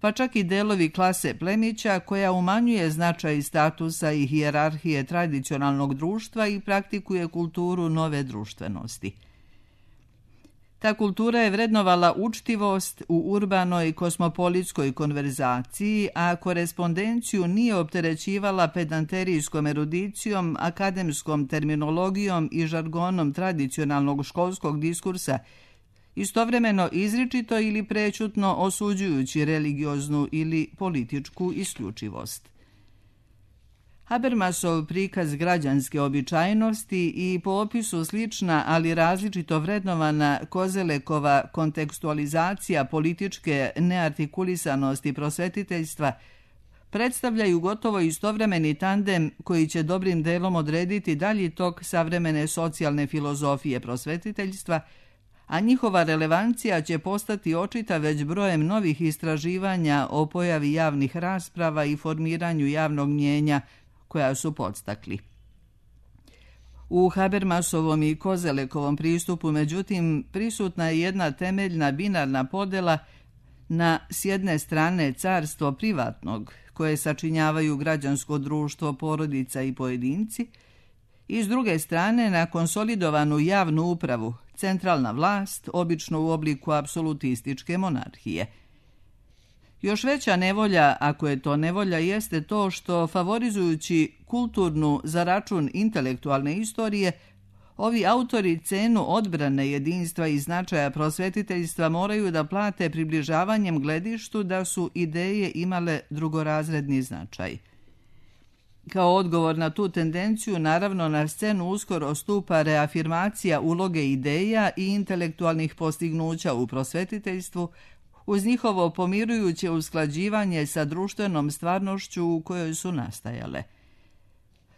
pa čak i delovi klase plemića koja umanjuje značaj statusa i hijerarhije tradicionalnog društva i praktikuje kulturu nove društvenosti. Ta kultura je vrednovala učtivost u urbanoj kosmopolitskoj konverzaciji, a korespondenciju nije opterećivala pedanterijskom erudicijom, akademskom terminologijom i žargonom tradicionalnog školskog diskursa, istovremeno izričito ili prećutno osuđujući religioznu ili političku isključivost. Habermasov prikaz građanske običajnosti i po opisu slična, ali različito vrednovana Kozelekova kontekstualizacija političke neartikulisanosti prosvetiteljstva predstavljaju gotovo istovremeni tandem koji će dobrim delom odrediti dalji tok savremene socijalne filozofije prosvetiteljstva, a njihova relevancija će postati očita već brojem novih istraživanja o pojavi javnih rasprava i formiranju javnog mnjenja koja su podstakli. U Habermasovom i Kozelekovom pristupu, međutim, prisutna je jedna temeljna binarna podela na s jedne strane carstvo privatnog, koje sačinjavaju građansko društvo, porodica i pojedinci, i s druge strane na konsolidovanu javnu upravu, centralna vlast, obično u obliku apsolutističke monarhije. Još veća nevolja, ako je to nevolja, jeste to što favorizujući kulturnu za račun intelektualne istorije, ovi autori cenu odbrane jedinstva i značaja prosvetiteljstva moraju da plate približavanjem gledištu da su ideje imale drugorazredni značaj. Kao odgovor na tu tendenciju, naravno, na scenu uskoro stupa reafirmacija uloge ideja i intelektualnih postignuća u prosvetiteljstvu, uz njihovo pomirujuće usklađivanje sa društvenom stvarnošću u kojoj su nastajale.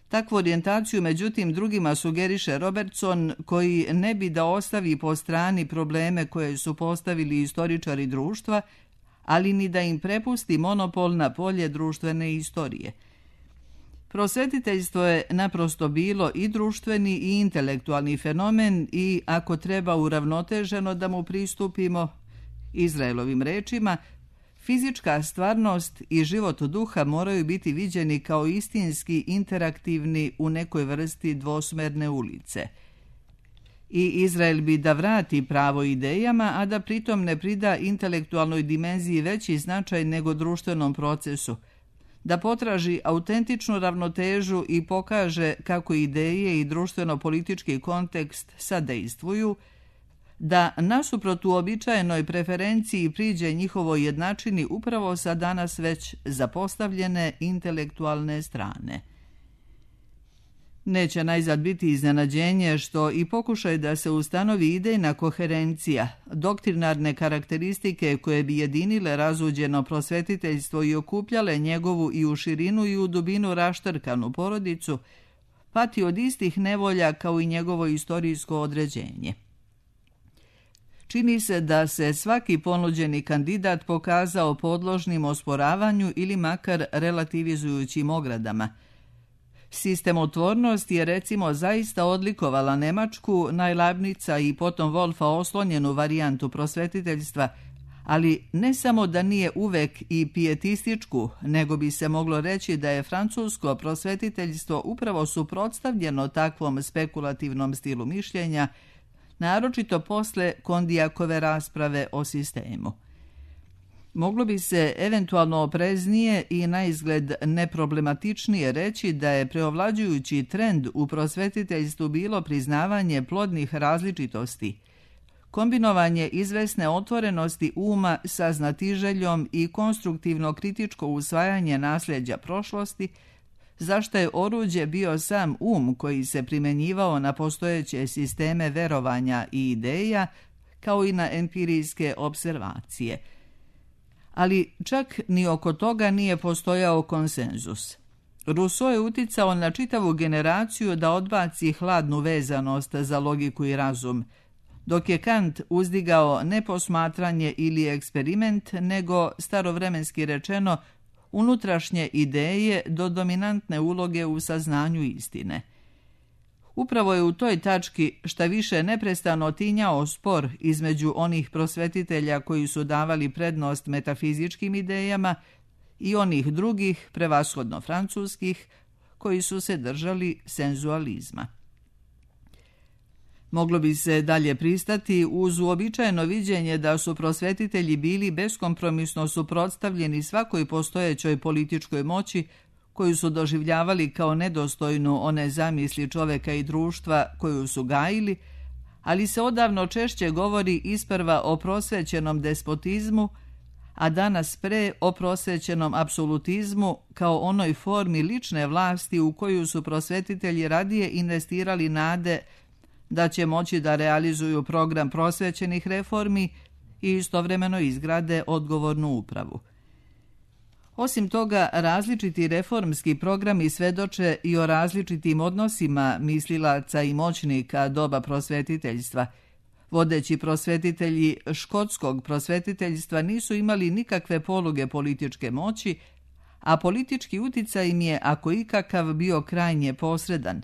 Takvu orijentaciju, međutim, drugima sugeriše Robertson, koji ne bi da ostavi po strani probleme koje su postavili istoričari društva, ali ni da im prepusti monopol na polje društvene istorije. Prosvetiteljstvo je naprosto bilo i društveni i intelektualni fenomen i, ako treba uravnoteženo da mu pristupimo, Izraelovim rečima, fizička stvarnost i život duha moraju biti viđeni kao istinski interaktivni u nekoj vrsti dvosmerne ulice. I Izrael bi da vrati pravo idejama, a da pritom ne prida intelektualnoj dimenziji veći značaj nego društvenom procesu, da potraži autentičnu ravnotežu i pokaže kako ideje i društveno-politički kontekst sadejstvuju, da nasuprot uobičajenoj preferenciji priđe njihovoj jednačini upravo sa danas već zapostavljene intelektualne strane. Neće najzad biti iznenađenje što i pokušaj da se ustanovi idejna koherencija, doktrinarne karakteristike koje bi jedinile razuđeno prosvetiteljstvo i okupljale njegovu i u širinu i u dubinu raštrkanu porodicu, pati od istih nevolja kao i njegovo istorijsko određenje. Čini se da se svaki ponuđeni kandidat pokazao podložnim osporavanju ili makar relativizujućim ogradama. Sistemotvornost je recimo zaista odlikovala Nemačku, Leibnica i potom Wolfa oslonjenu varijantu prosvetiteljstva, ali ne samo da nije uvek i pijetističku, nego bi se moglo reći da je francusko prosvetiteljstvo upravo suprotstavljeno takvom spekulativnom stilu mišljenja, naročito posle Kondijakove rasprave o sistemu. Moglo bi se eventualno opreznije i na izgled neproblematičnije reći da je preovlađujući trend u prosvetiteljstvu bilo priznavanje plodnih različitosti, kombinovanje izvesne otvorenosti uma sa znatiželjom i konstruktivno kritičko usvajanje nasljeđa prošlosti, zašto je oruđe bio sam koji se primenjivao na postojeće sisteme verovanja i ideja, kao i na empirijske observacije. Ali čak ni oko toga nije postojao konsenzus. Rousseau je uticao na čitavu generaciju da odbaci hladnu vezanost za logiku i razum, dok je Kant uzdigao ne posmatranje ili eksperiment, nego, starovremenski rečeno, unutrašnje ideje do dominantne uloge u saznanju istine. Upravo je u toj tački šta više neprestano tinjao spor između onih prosvetitelja koji su davali prednost metafizičkim idejama i onih drugih, prevashodno francuskih, koji su se držali senzualizma. Moglo bi se dalje pristati uz uobičajeno viđenje da su prosvetitelji bili beskompromisno suprotstavljeni svakoj postojećoj političkoj moći koju su doživljavali kao nedostojnu one zamisli čoveka i društva koju su gajili, ali se odavno češće govori isprva o prosvećenom despotizmu, a danas pre o prosvećenom apsolutizmu kao onoj formi lične vlasti u koju su prosvetitelji radije investirali nade da će moći da realizuju program prosvećenih reformi i istovremeno izgrade odgovornu upravu. Osim toga, različiti reformski programi svedoče i o različitim odnosima mislilaca i moćnika doba prosvetiteljstva. Vodeći prosvetitelji škotskog prosvetiteljstva nisu imali nikakve poluge političke moći, a politički uticaj im je, ako ikakav, bio krajnje posredan.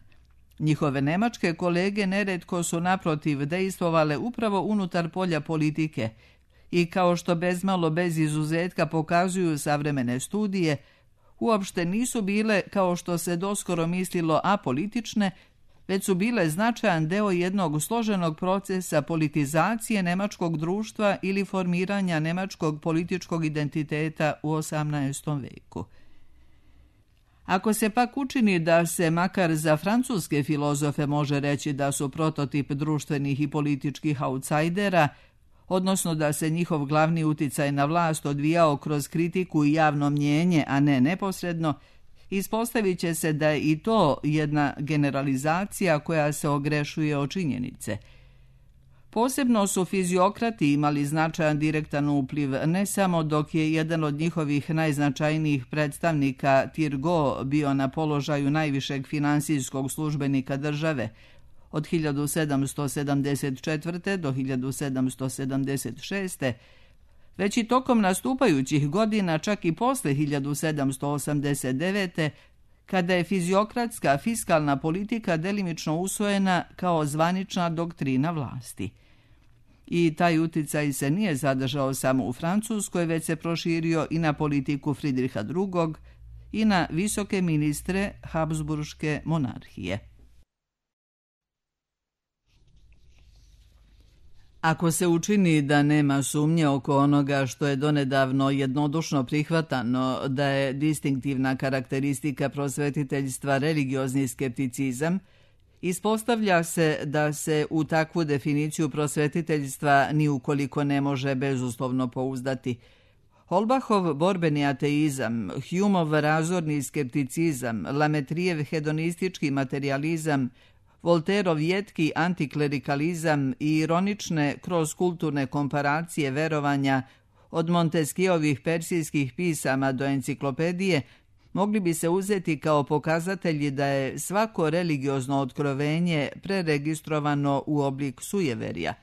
Njihove nemačke kolege neretko su naprotiv dejstvovale upravo unutar polja politike i, kao što bezmalo bez izuzetka pokazuju savremene studije, uopšte nisu bile, kao što se doskoro mislilo, apolitične, već su bile značajan deo jednog složenog procesa politizacije nemačkog društva ili formiranja nemačkog političkog identiteta u 18. veku. Ako se pak učini da se makar za francuske filozofe može reći da su prototip društvenih i političkih autsajdera, odnosno da se njihov glavni uticaj na vlast odvijao kroz kritiku i javno mnjenje, a ne neposredno, ispostavit će se da je i to jedna generalizacija koja se ogrešuje o činjenice. Posebno su fiziokrati imali značajan direktan upliv, ne samo dok je jedan od njihovih najznačajnijih predstavnika Turgot bio na položaju najvišeg finansijskog službenika države od 1774. do 1776. već i tokom nastupajućih godina, čak i posle 1789. kada je fiziokratska fiskalna politika delimično usvojena kao zvanična doktrina vlasti. I taj uticaj se nije zadržao samo u Francuskoj, već se proširio i na politiku Fridriha II. I na visoke ministre Habsburške monarhije. Ako se učini da nema sumnje oko onoga što je donedavno jednodušno prihvatano da je distinktivna karakteristika prosvetiteljstva religiozni skepticizam, ispostavlja se da se u takvu definiciju prosvetiteljstva ni ukoliko ne može bezuslovno pouzdati. Holbachov borbeni ateizam, Humeov razorni skepticizam, Lametrijev hedonistički materializam, Volterov jetki antiklerikalizam i ironične kroz kulturne komparacije verovanja od Montesquieuovih persijskih pisama do enciklopedije mogli bi se uzeti kao pokazatelji da je svako religiozno otkrovenje preregistrovano u oblik sujeverja.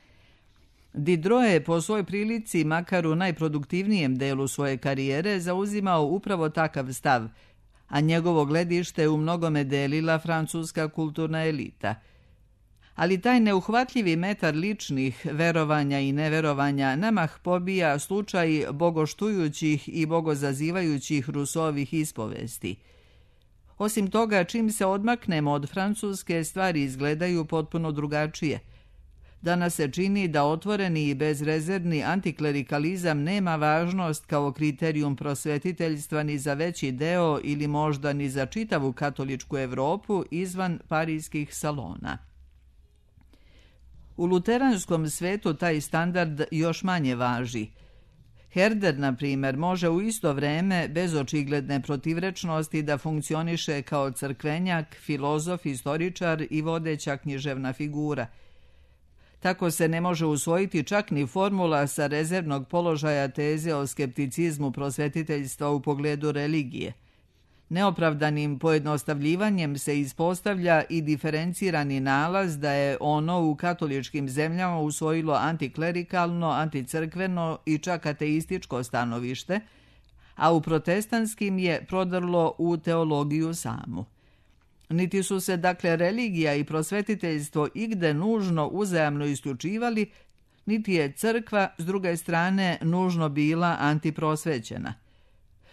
Diderot je po svoj prilici, makar u najproduktivnijem delu svoje karijere, zauzimao upravo takav stav, a njegovo gledište u mnogome delila francuska kulturna elita. Ali taj neuhvatljivi metar ličnih verovanja i neverovanja namah pobija slučaj bogoštujućih i bogozazivajućih Rousseauovih ispovesti. Osim toga, čim se odmaknemo od Francuske, stvari izgledaju potpuno drugačije. Danas se čini da otvoreni i bezrezervni antiklerikalizam nema važnost kao kriterijum prosvetiteljstva ni za veći deo ili možda ni za čitavu katoličku Evropu izvan parijskih salona. U luteranskom svetu taj standard još manje važi. Herder, na primjer, može u isto vreme, bez očigledne protivrečnosti, da funkcioniše kao crkvenjak, filozof, istoričar i vodeća književna figura. Tako se ne može usvojiti čak ni formula sa rezervnog položaja teze o skepticizmu prosvetiteljstva u pogledu religije. Neopravdanim pojednostavljivanjem se ispostavlja i diferencirani nalaz da je ono u katoličkim zemljama usvojilo antiklerikalno, anticrkveno i čak ateističko stanovište, a u protestantskim je prodrlo u teologiju samu. Niti su se, dakle, religija i prosvetiteljstvo igde nužno uzajamno isključivali, niti je crkva, s druge strane, nužno bila antiprosvećena.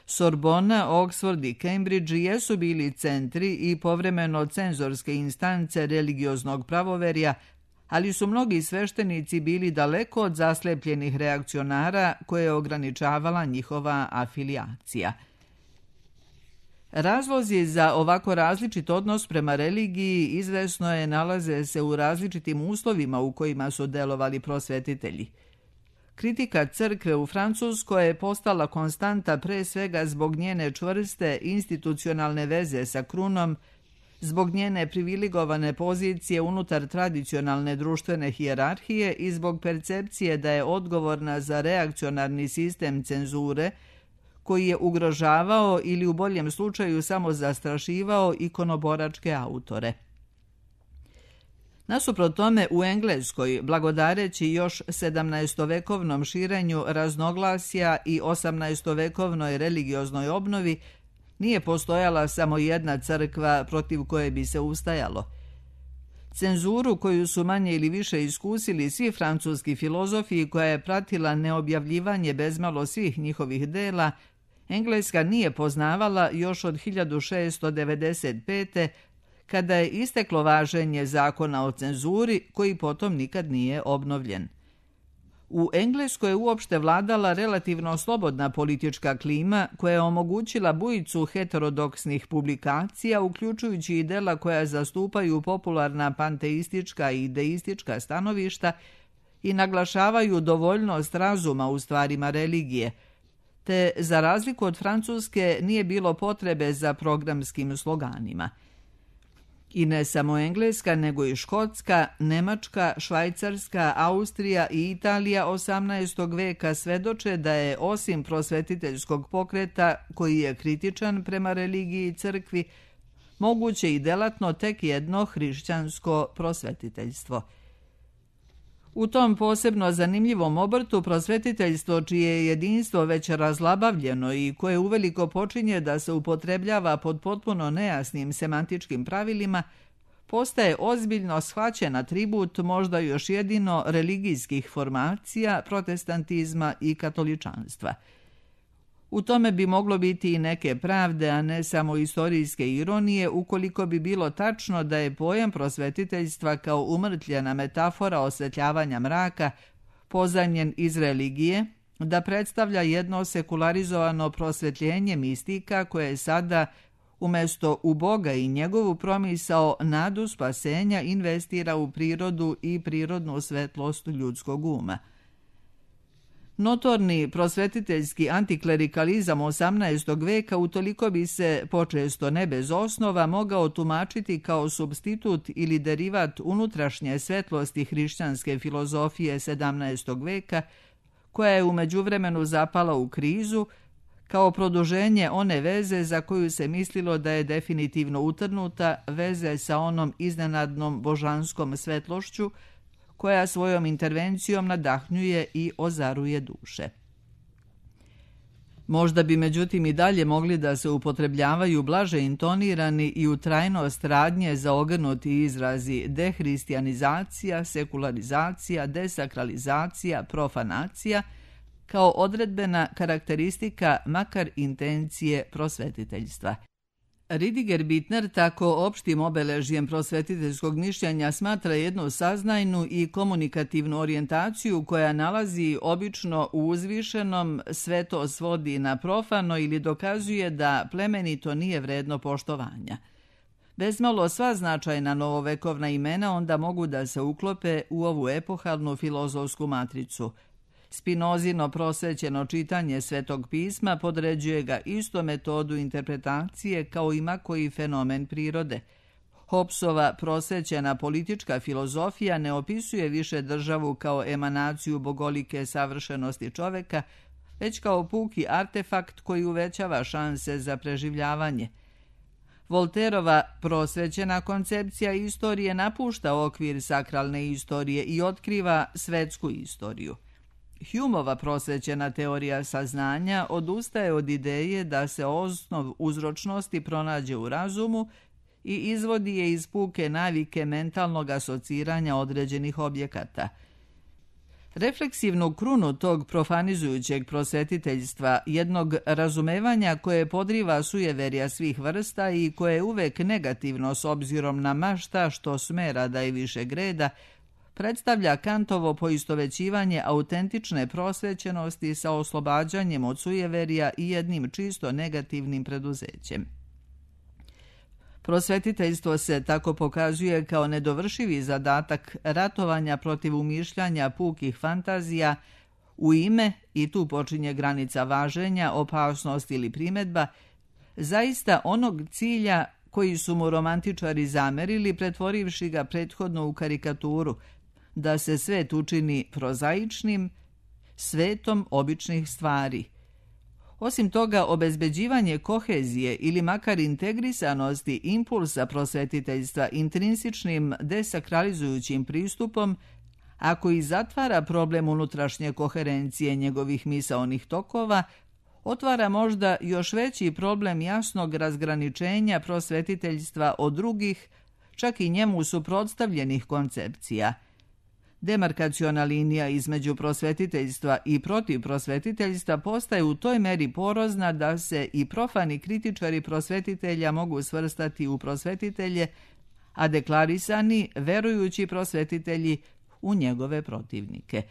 Sorbona, Oxford i Cambridge jesu bili centri i povremeno cenzorske instance religioznog pravoverja, ali su mnogi sveštenici bili daleko od zaslepljenih reakcionara koje je ograničavala njihova afilijacija. Razlozi za ovako različit odnos prema religiji izvesno je nalaze se u različitim uslovima u kojima su delovali prosvetitelji. Kritika crkve u Francuskoj je postala konstanta pre svega zbog njene čvrste institucionalne veze sa krunom, zbog njene privilegovane pozicije unutar tradicionalne društvene hijerarhije i zbog percepcije da je odgovorna za reakcionarni sistem cenzure koji je ugrožavao ili u boljem slučaju samo zastrašivao ikonoboračke autore. Nasuprot tome, u Engleskoj, blagodareći još 17-vekovnom širenju raznoglasja i 18-vekovnoj religioznoj obnovi, nije postojala samo jedna crkva protiv koje bi se ustajalo. Cenzuru koju su manje ili više iskusili svi francuski filozofi i koja je pratila neobjavljivanje bezmalo svih njihovih dela, Engleska nije poznavala još od 1695. kada je isteklo važenje zakona o cenzuri, koji potom nikad nije obnovljen. U Engleskoj je uopšte vladala relativno slobodna politička klima koja je omogućila bujicu heterodoksnih publikacija, uključujući i dela koja zastupaju popularna panteistička i deistička stanovišta i naglašavaju dovoljnost razuma u stvarima religije, te za razliku od Francuske nije bilo potrebe za programskim sloganima. I ne samo Engleska, nego i Škotska, Nemačka, Švajcarska, Austrija i Italija 18. veka svedoče da je osim prosvetiteljskog pokreta, koji je kritičan prema religiji i crkvi, moguće i delatno tek jedno hrišćansko prosvetiteljstvo. U tom posebno zanimljivom obrtu prosvetiteljstvo, čije je jedinstvo već razlabavljeno i koje uveliko počinje da se upotrebljava pod potpuno nejasnim semantičkim pravilima, postaje ozbiljno shvaćen atribut možda još jedino religijskih formacija, protestantizma i katoličanstva. U tome bi moglo biti i neke pravde, a ne samo istorijske ironije, ukoliko bi bilo tačno da je pojam prosvetiteljstva kao umrtljena metafora osvetljavanja mraka, pozajmljen iz religije, da predstavlja jedno sekularizovano prosvetljenje mistika koje je sada, umjesto u Boga i njegovu promisao nadu spasenja, investira u prirodu i prirodnu svetlost ljudskog uma. Notorni prosvetiteljski antiklerikalizam 18. veka utoliko bi se, počesto ne bez osnova, mogao tumačiti kao supstitut ili derivat unutrašnje svetlosti hrišćanske filozofije 17. veka, koja je u međuvremenu zapala u krizu, kao produženje one veze za koju se mislilo da je definitivno utrnuta, veze sa onom iznenadnom božanskom svetlošću, koja svojom intervencijom nadahnjuje i ozaruje duše. Možda bi međutim i dalje mogli da se upotrebljavaju blaže intonirani i u trajnost radnje zaogrnuti izrazi dehristijanizacija, sekularizacija, desakralizacija, profanacija, kao odredbena karakteristika makar intencije prosvetiteljstva. Ridiger Bittner tako opštim obeležjem prosvetiteljskog mišljenja smatra jednu saznajnu i komunikativnu orijentaciju koja nalazi obično u uzvišenom, sve to svodi na profano ili dokazuje da plemenito nije vredno poštovanja. Bezmalo sva značajna novovekovna imena onda mogu da se uklope u ovu epohalnu filozofsku matricu. Spinozino prosvećeno čitanje Svetog pisma podređuje ga isto metodu interpretacije kao ima koji fenomen prirode. Hobbesova prosvećena politička filozofija ne opisuje više državu kao emanaciju bogolike savršenosti čoveka, već kao puki artefakt koji uvećava šanse za preživljavanje. Volterova prosvećena koncepcija istorije napušta okvir sakralne istorije i otkriva svetsku istoriju. Humeova prosvećena teorija saznanja odustaje od ideje da se osnov uzročnosti pronađe u razumu i izvodi je iz puke navike mentalnog asociranja određenih objekata. Refleksivnu krunu tog profanizujućeg prosvetiteljstva, jednog razumevanja koje podriva sujeverja svih vrsta i koje je uvek negativno s obzirom na ma šta što smera da je više greda, predstavlja Kantovo poistovećivanje autentične prosvećenosti sa oslobađanjem od sujeverja i jednim čisto negativnim preduzećem. Prosvetiteljstvo se tako pokazuje kao nedovršivi zadatak ratovanja protiv umišljanja pukih fantazija u ime, i tu počinje granica važenja, opasnost ili primedba, zaista onog cilja koji su mu romantičari zamerili pretvorivši ga prethodno u karikaturu, da se svet učini prozaičnim, svetom običnih stvari. Osim toga, obezbeđivanje kohezije ili makar integrisanosti impulsa prosvetiteljstva intrinsičnim desakralizujućim pristupom, ako i zatvara problem unutrašnje koherencije njegovih misaonih tokova, otvara možda još veći problem jasnog razgraničenja prosvetiteljstva od drugih, čak i njemu suprotstavljenih koncepcija. Demarkaciona linija između prosvetiteljstva i protiv prosvetiteljstva postaje u toj meri porozna da se i profani kritičari prosvetitelja mogu svrstati u prosvetitelje, a deklarisani verujući prosvetitelji u njegove protivnike.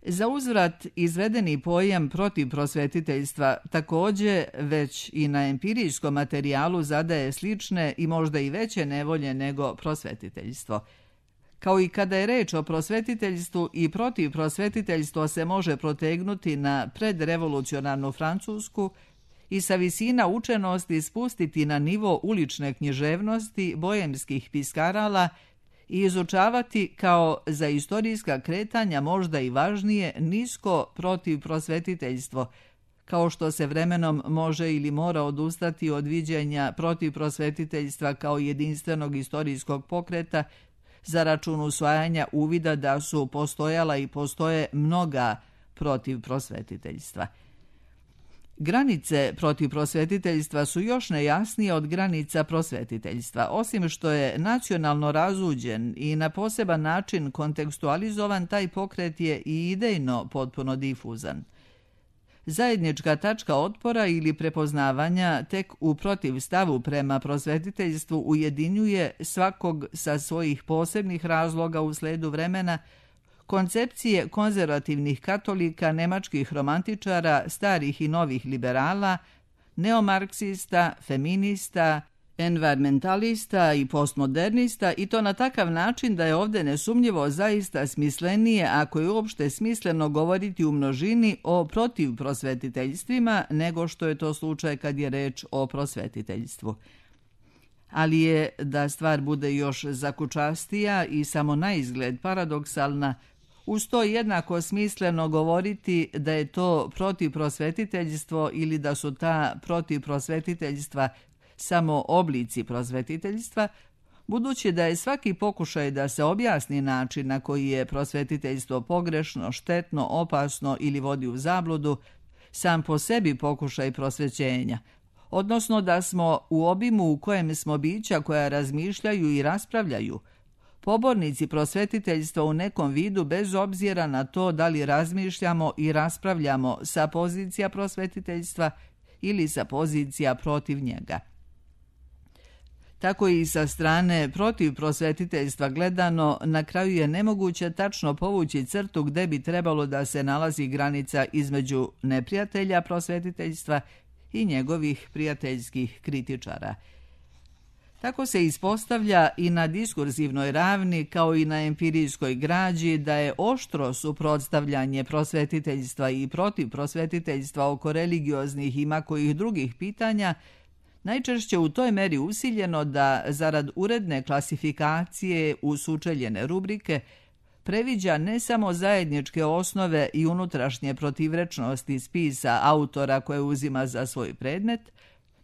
Za uzvrat izvedeni pojam protiv prosvetiteljstva također već i na empirijskom materijalu zadaje slične i možda i veće nevolje nego prosvetiteljstvo. Kao i kada je reč o prosvetiteljstvu, i protiv prosvetiteljstva se može protegnuti na predrevolucionarnu Francusku i sa visina učenosti spustiti na nivo ulične književnosti bojemskih piskarala i izučavati kao za istorijska kretanja možda i važnije nisko protiv prosvetiteljstvo, kao što se vremenom može ili mora odustati od viđenja protiv prosvetiteljstva kao jedinstvenog istorijskog pokreta za račun usvajanja uvida da su postojala i postoje mnoga protiv prosvetiteljstva. Granice protiv prosvetiteljstva su još nejasnije od granica prosvetiteljstva, osim što je nacionalno razuđen i na poseban način kontekstualizovan, taj pokret je i idejno potpuno difuzan. Zajednička tačka otpora ili prepoznavanja tek u protivstavu prema prosvetiteljstvu ujedinjuje svakog sa svojih posebnih razloga u sledu vremena, koncepcije konzervativnih katolika, nemačkih romantičara, starih i novih liberala, neomarksista, feminista, environmentalista i postmodernista, i to na takav način da je ovdje nesumnjivo zaista smislenije, ako je uopšte smisleno govoriti u množini o protivprosvetiteljstvima, nego što je to slučaj kad je reč o prosvetiteljstvu. Ali je, da stvar bude još zakučastija i samo na izgled paradoksalna, uz to jednako smisleno govoriti da je to protivprosvetiteljstvo ili da su ta protivprosvetiteljstva samo oblici prosvetiteljstva, budući da je svaki pokušaj da se objasni način na koji je prosvetiteljstvo pogrešno, štetno, opasno ili vodi u zabludu, sam po sebi pokušaj prosvećenja, odnosno da smo u obimu u kojem smo bića koja razmišljaju i raspravljaju, pobornici prosvetiteljstva u nekom vidu bez obzira na to da li razmišljamo i raspravljamo sa pozicija prosvetiteljstva ili sa pozicija protiv njega. Tako i sa strane protiv prosvetiteljstva gledano, na kraju je nemoguće tačno povući crtu gde bi trebalo da se nalazi granica između neprijatelja prosvetiteljstva i njegovih prijateljskih kritičara. Tako se ispostavlja i na diskurzivnoj ravni kao i na empirijskoj građi da je oštro suprotstavljanje prosvetiteljstva i protiv prosvetiteljstva oko religioznih i makojih drugih pitanja najčešće u toj meri usiljeno da zarad uredne klasifikacije u sučeljene rubrike previđa ne samo zajedničke osnove i unutrašnje protivrečnosti spisa autora koje uzima za svoj predmet,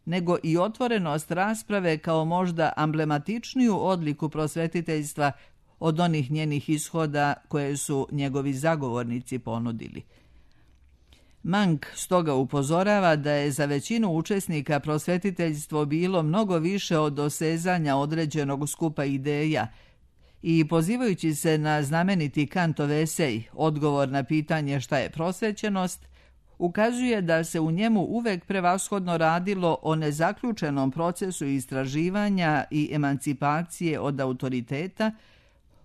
nego i otvorenost rasprave kao možda amblematičniju odliku prosvetiteljstva od onih njenih ishoda koje su njegovi zagovornici ponudili. Mank stoga upozorava da je za većinu učesnika prosvetiteljstvo bilo mnogo više od dosezanja određenog skupa ideja i pozivajući se na znameniti Kantov esej Odgovor na pitanje šta je prosvećenost, ukazuje da se u njemu uvek prevashodno radilo o nezaključenom procesu istraživanja i emancipacije od autoriteta,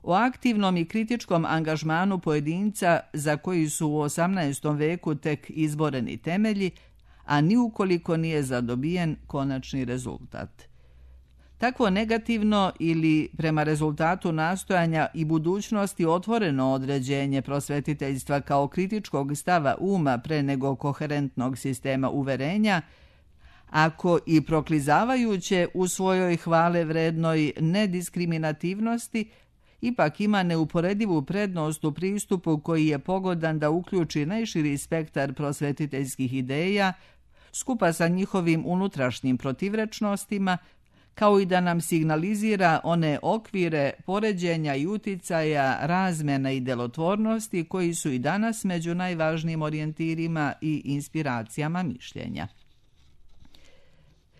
o aktivnom i kritičkom angažmanu pojedinca za koji su u 18. veku tek izboreni temelji, a ni ukoliko nije zadobijen konačni rezultat. Takvo negativno ili prema rezultatu nastojanja i budućnosti otvoreno određenje prosvetiteljstva kao kritičkog stava uma pre nego koherentnog sistema uverenja, ako i proklizavajuće u svojoj hvale vrednoj nediskriminativnosti, ipak ima neuporedivu prednost u pristupu koji je pogodan da uključi najširi spektar prosvetiteljskih ideja, skupa sa njihovim unutrašnjim protivrečnostima, kao i da nam signalizira one okvire poređenja i uticaja, razmjena i delotvornosti koji su i danas među najvažnijim orijentirima i inspiracijama mišljenja.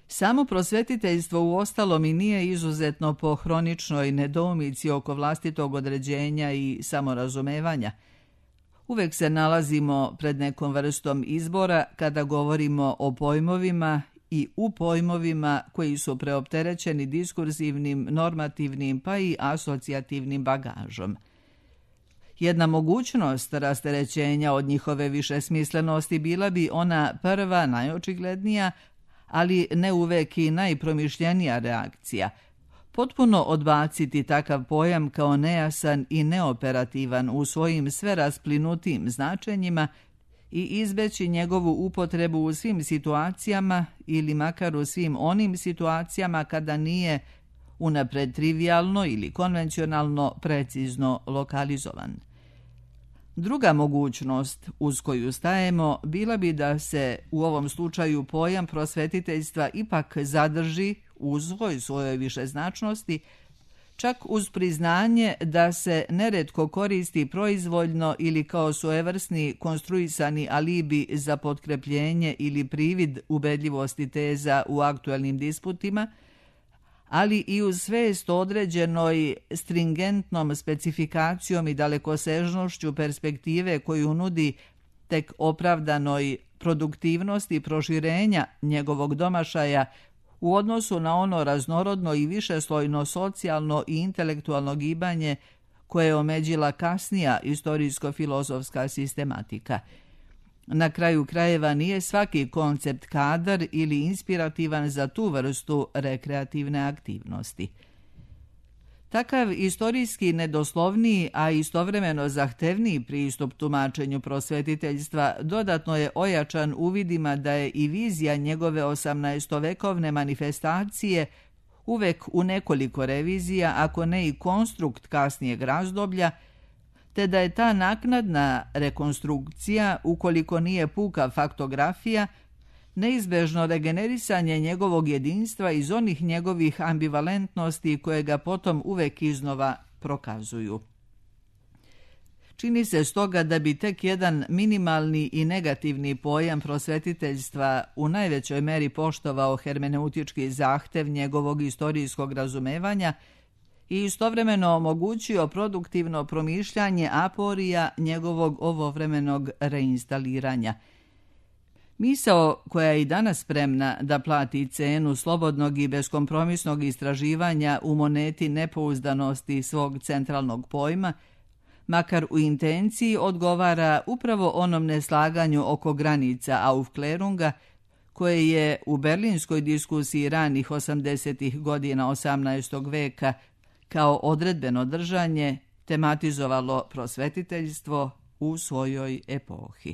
Samo prosvetiteljstvo uostalom i nije izuzetno po hroničnoj nedoumici oko vlastitog određenja i samorazumevanja. Uvek se nalazimo pred nekom vrstom izbora kada govorimo o pojmovima i u pojmovima koji su preopterećeni diskurzivnim, normativnim pa i asocijativnim bagažom. Jedna mogućnost rasterećenja od njihove višesmislenosti bila bi ona prva, najočiglednija, ali ne uvek i najpromišljenija reakcija. Potpuno odbaciti takav pojam kao nejasan i neoperativan u svojim sve rasplinutim značenjima i izbeći njegovu upotrebu u svim situacijama ili makar u svim onim situacijama kada nije unapred trivijalno ili konvencionalno precizno lokalizovan. Druga mogućnost uz koju stajemo bila bi da se u ovom slučaju pojam prosvetiteljstva ipak zadrži u svojoj višeznačnosti, čak uz priznanje da se neretko koristi proizvoljno ili kao svojevrsni konstruisani alibi za potkrepljenje ili privid ubedljivosti teza u aktuelnim disputima, ali i uz svest određenoj stringentnom specifikacijom i dalekosežnošću perspektive koju nudi tek opravdanoj produktivnosti proširenja njegovog domašaja u odnosu na ono raznorodno i višeslojno socijalno i intelektualno gibanje koje je omeđila kasnija istorijsko-filozofska sistematika. Na kraju krajeva nije svaki koncept kadar ili inspirativan za tu vrstu rekreativne aktivnosti. Takav istorijski nedoslovniji, a istovremeno zahtevniji pristup tumačenju prosvetiteljstva dodatno je ojačan uvidima da je i vizija njegove 18-vekovne manifestacije uvek u nekoliko revizija, ako ne i konstrukt kasnijeg razdoblja, te da je ta naknadna rekonstrukcija, ukoliko nije puka faktografija, neizbežno regenerisanje njegovog jedinstva iz onih njegovih ambivalentnosti koje ga potom uvek iznova prokazuju. Čini se stoga da bi tek jedan minimalni i negativni pojam prosvetiteljstva u najvećoj meri poštovao hermeneutički zahtev njegovog istorijskog razumevanja i istovremeno omogućio produktivno promišljanje aporija njegovog ovovremenog reinstaliranja. Misao koja je i danas spremna da plati cenu slobodnog i beskompromisnog istraživanja u moneti nepouzdanosti svog centralnog pojma, makar u intenciji odgovara upravo onom neslaganju oko granica Aufklärunga, koje je u berlinskoj diskusiji ranih 80. godina 18. veka kao odredbeno držanje tematizovalo prosvetiteljstvo u svojoj epohi.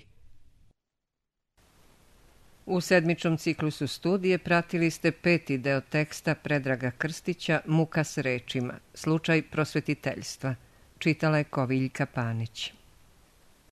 U sedmičnom ciklusu studije pratili ste 5. deo teksta Predraga Krstića Muka s rečima, slučaj prosvetiteljstva. Čitala je Koviljka Panić.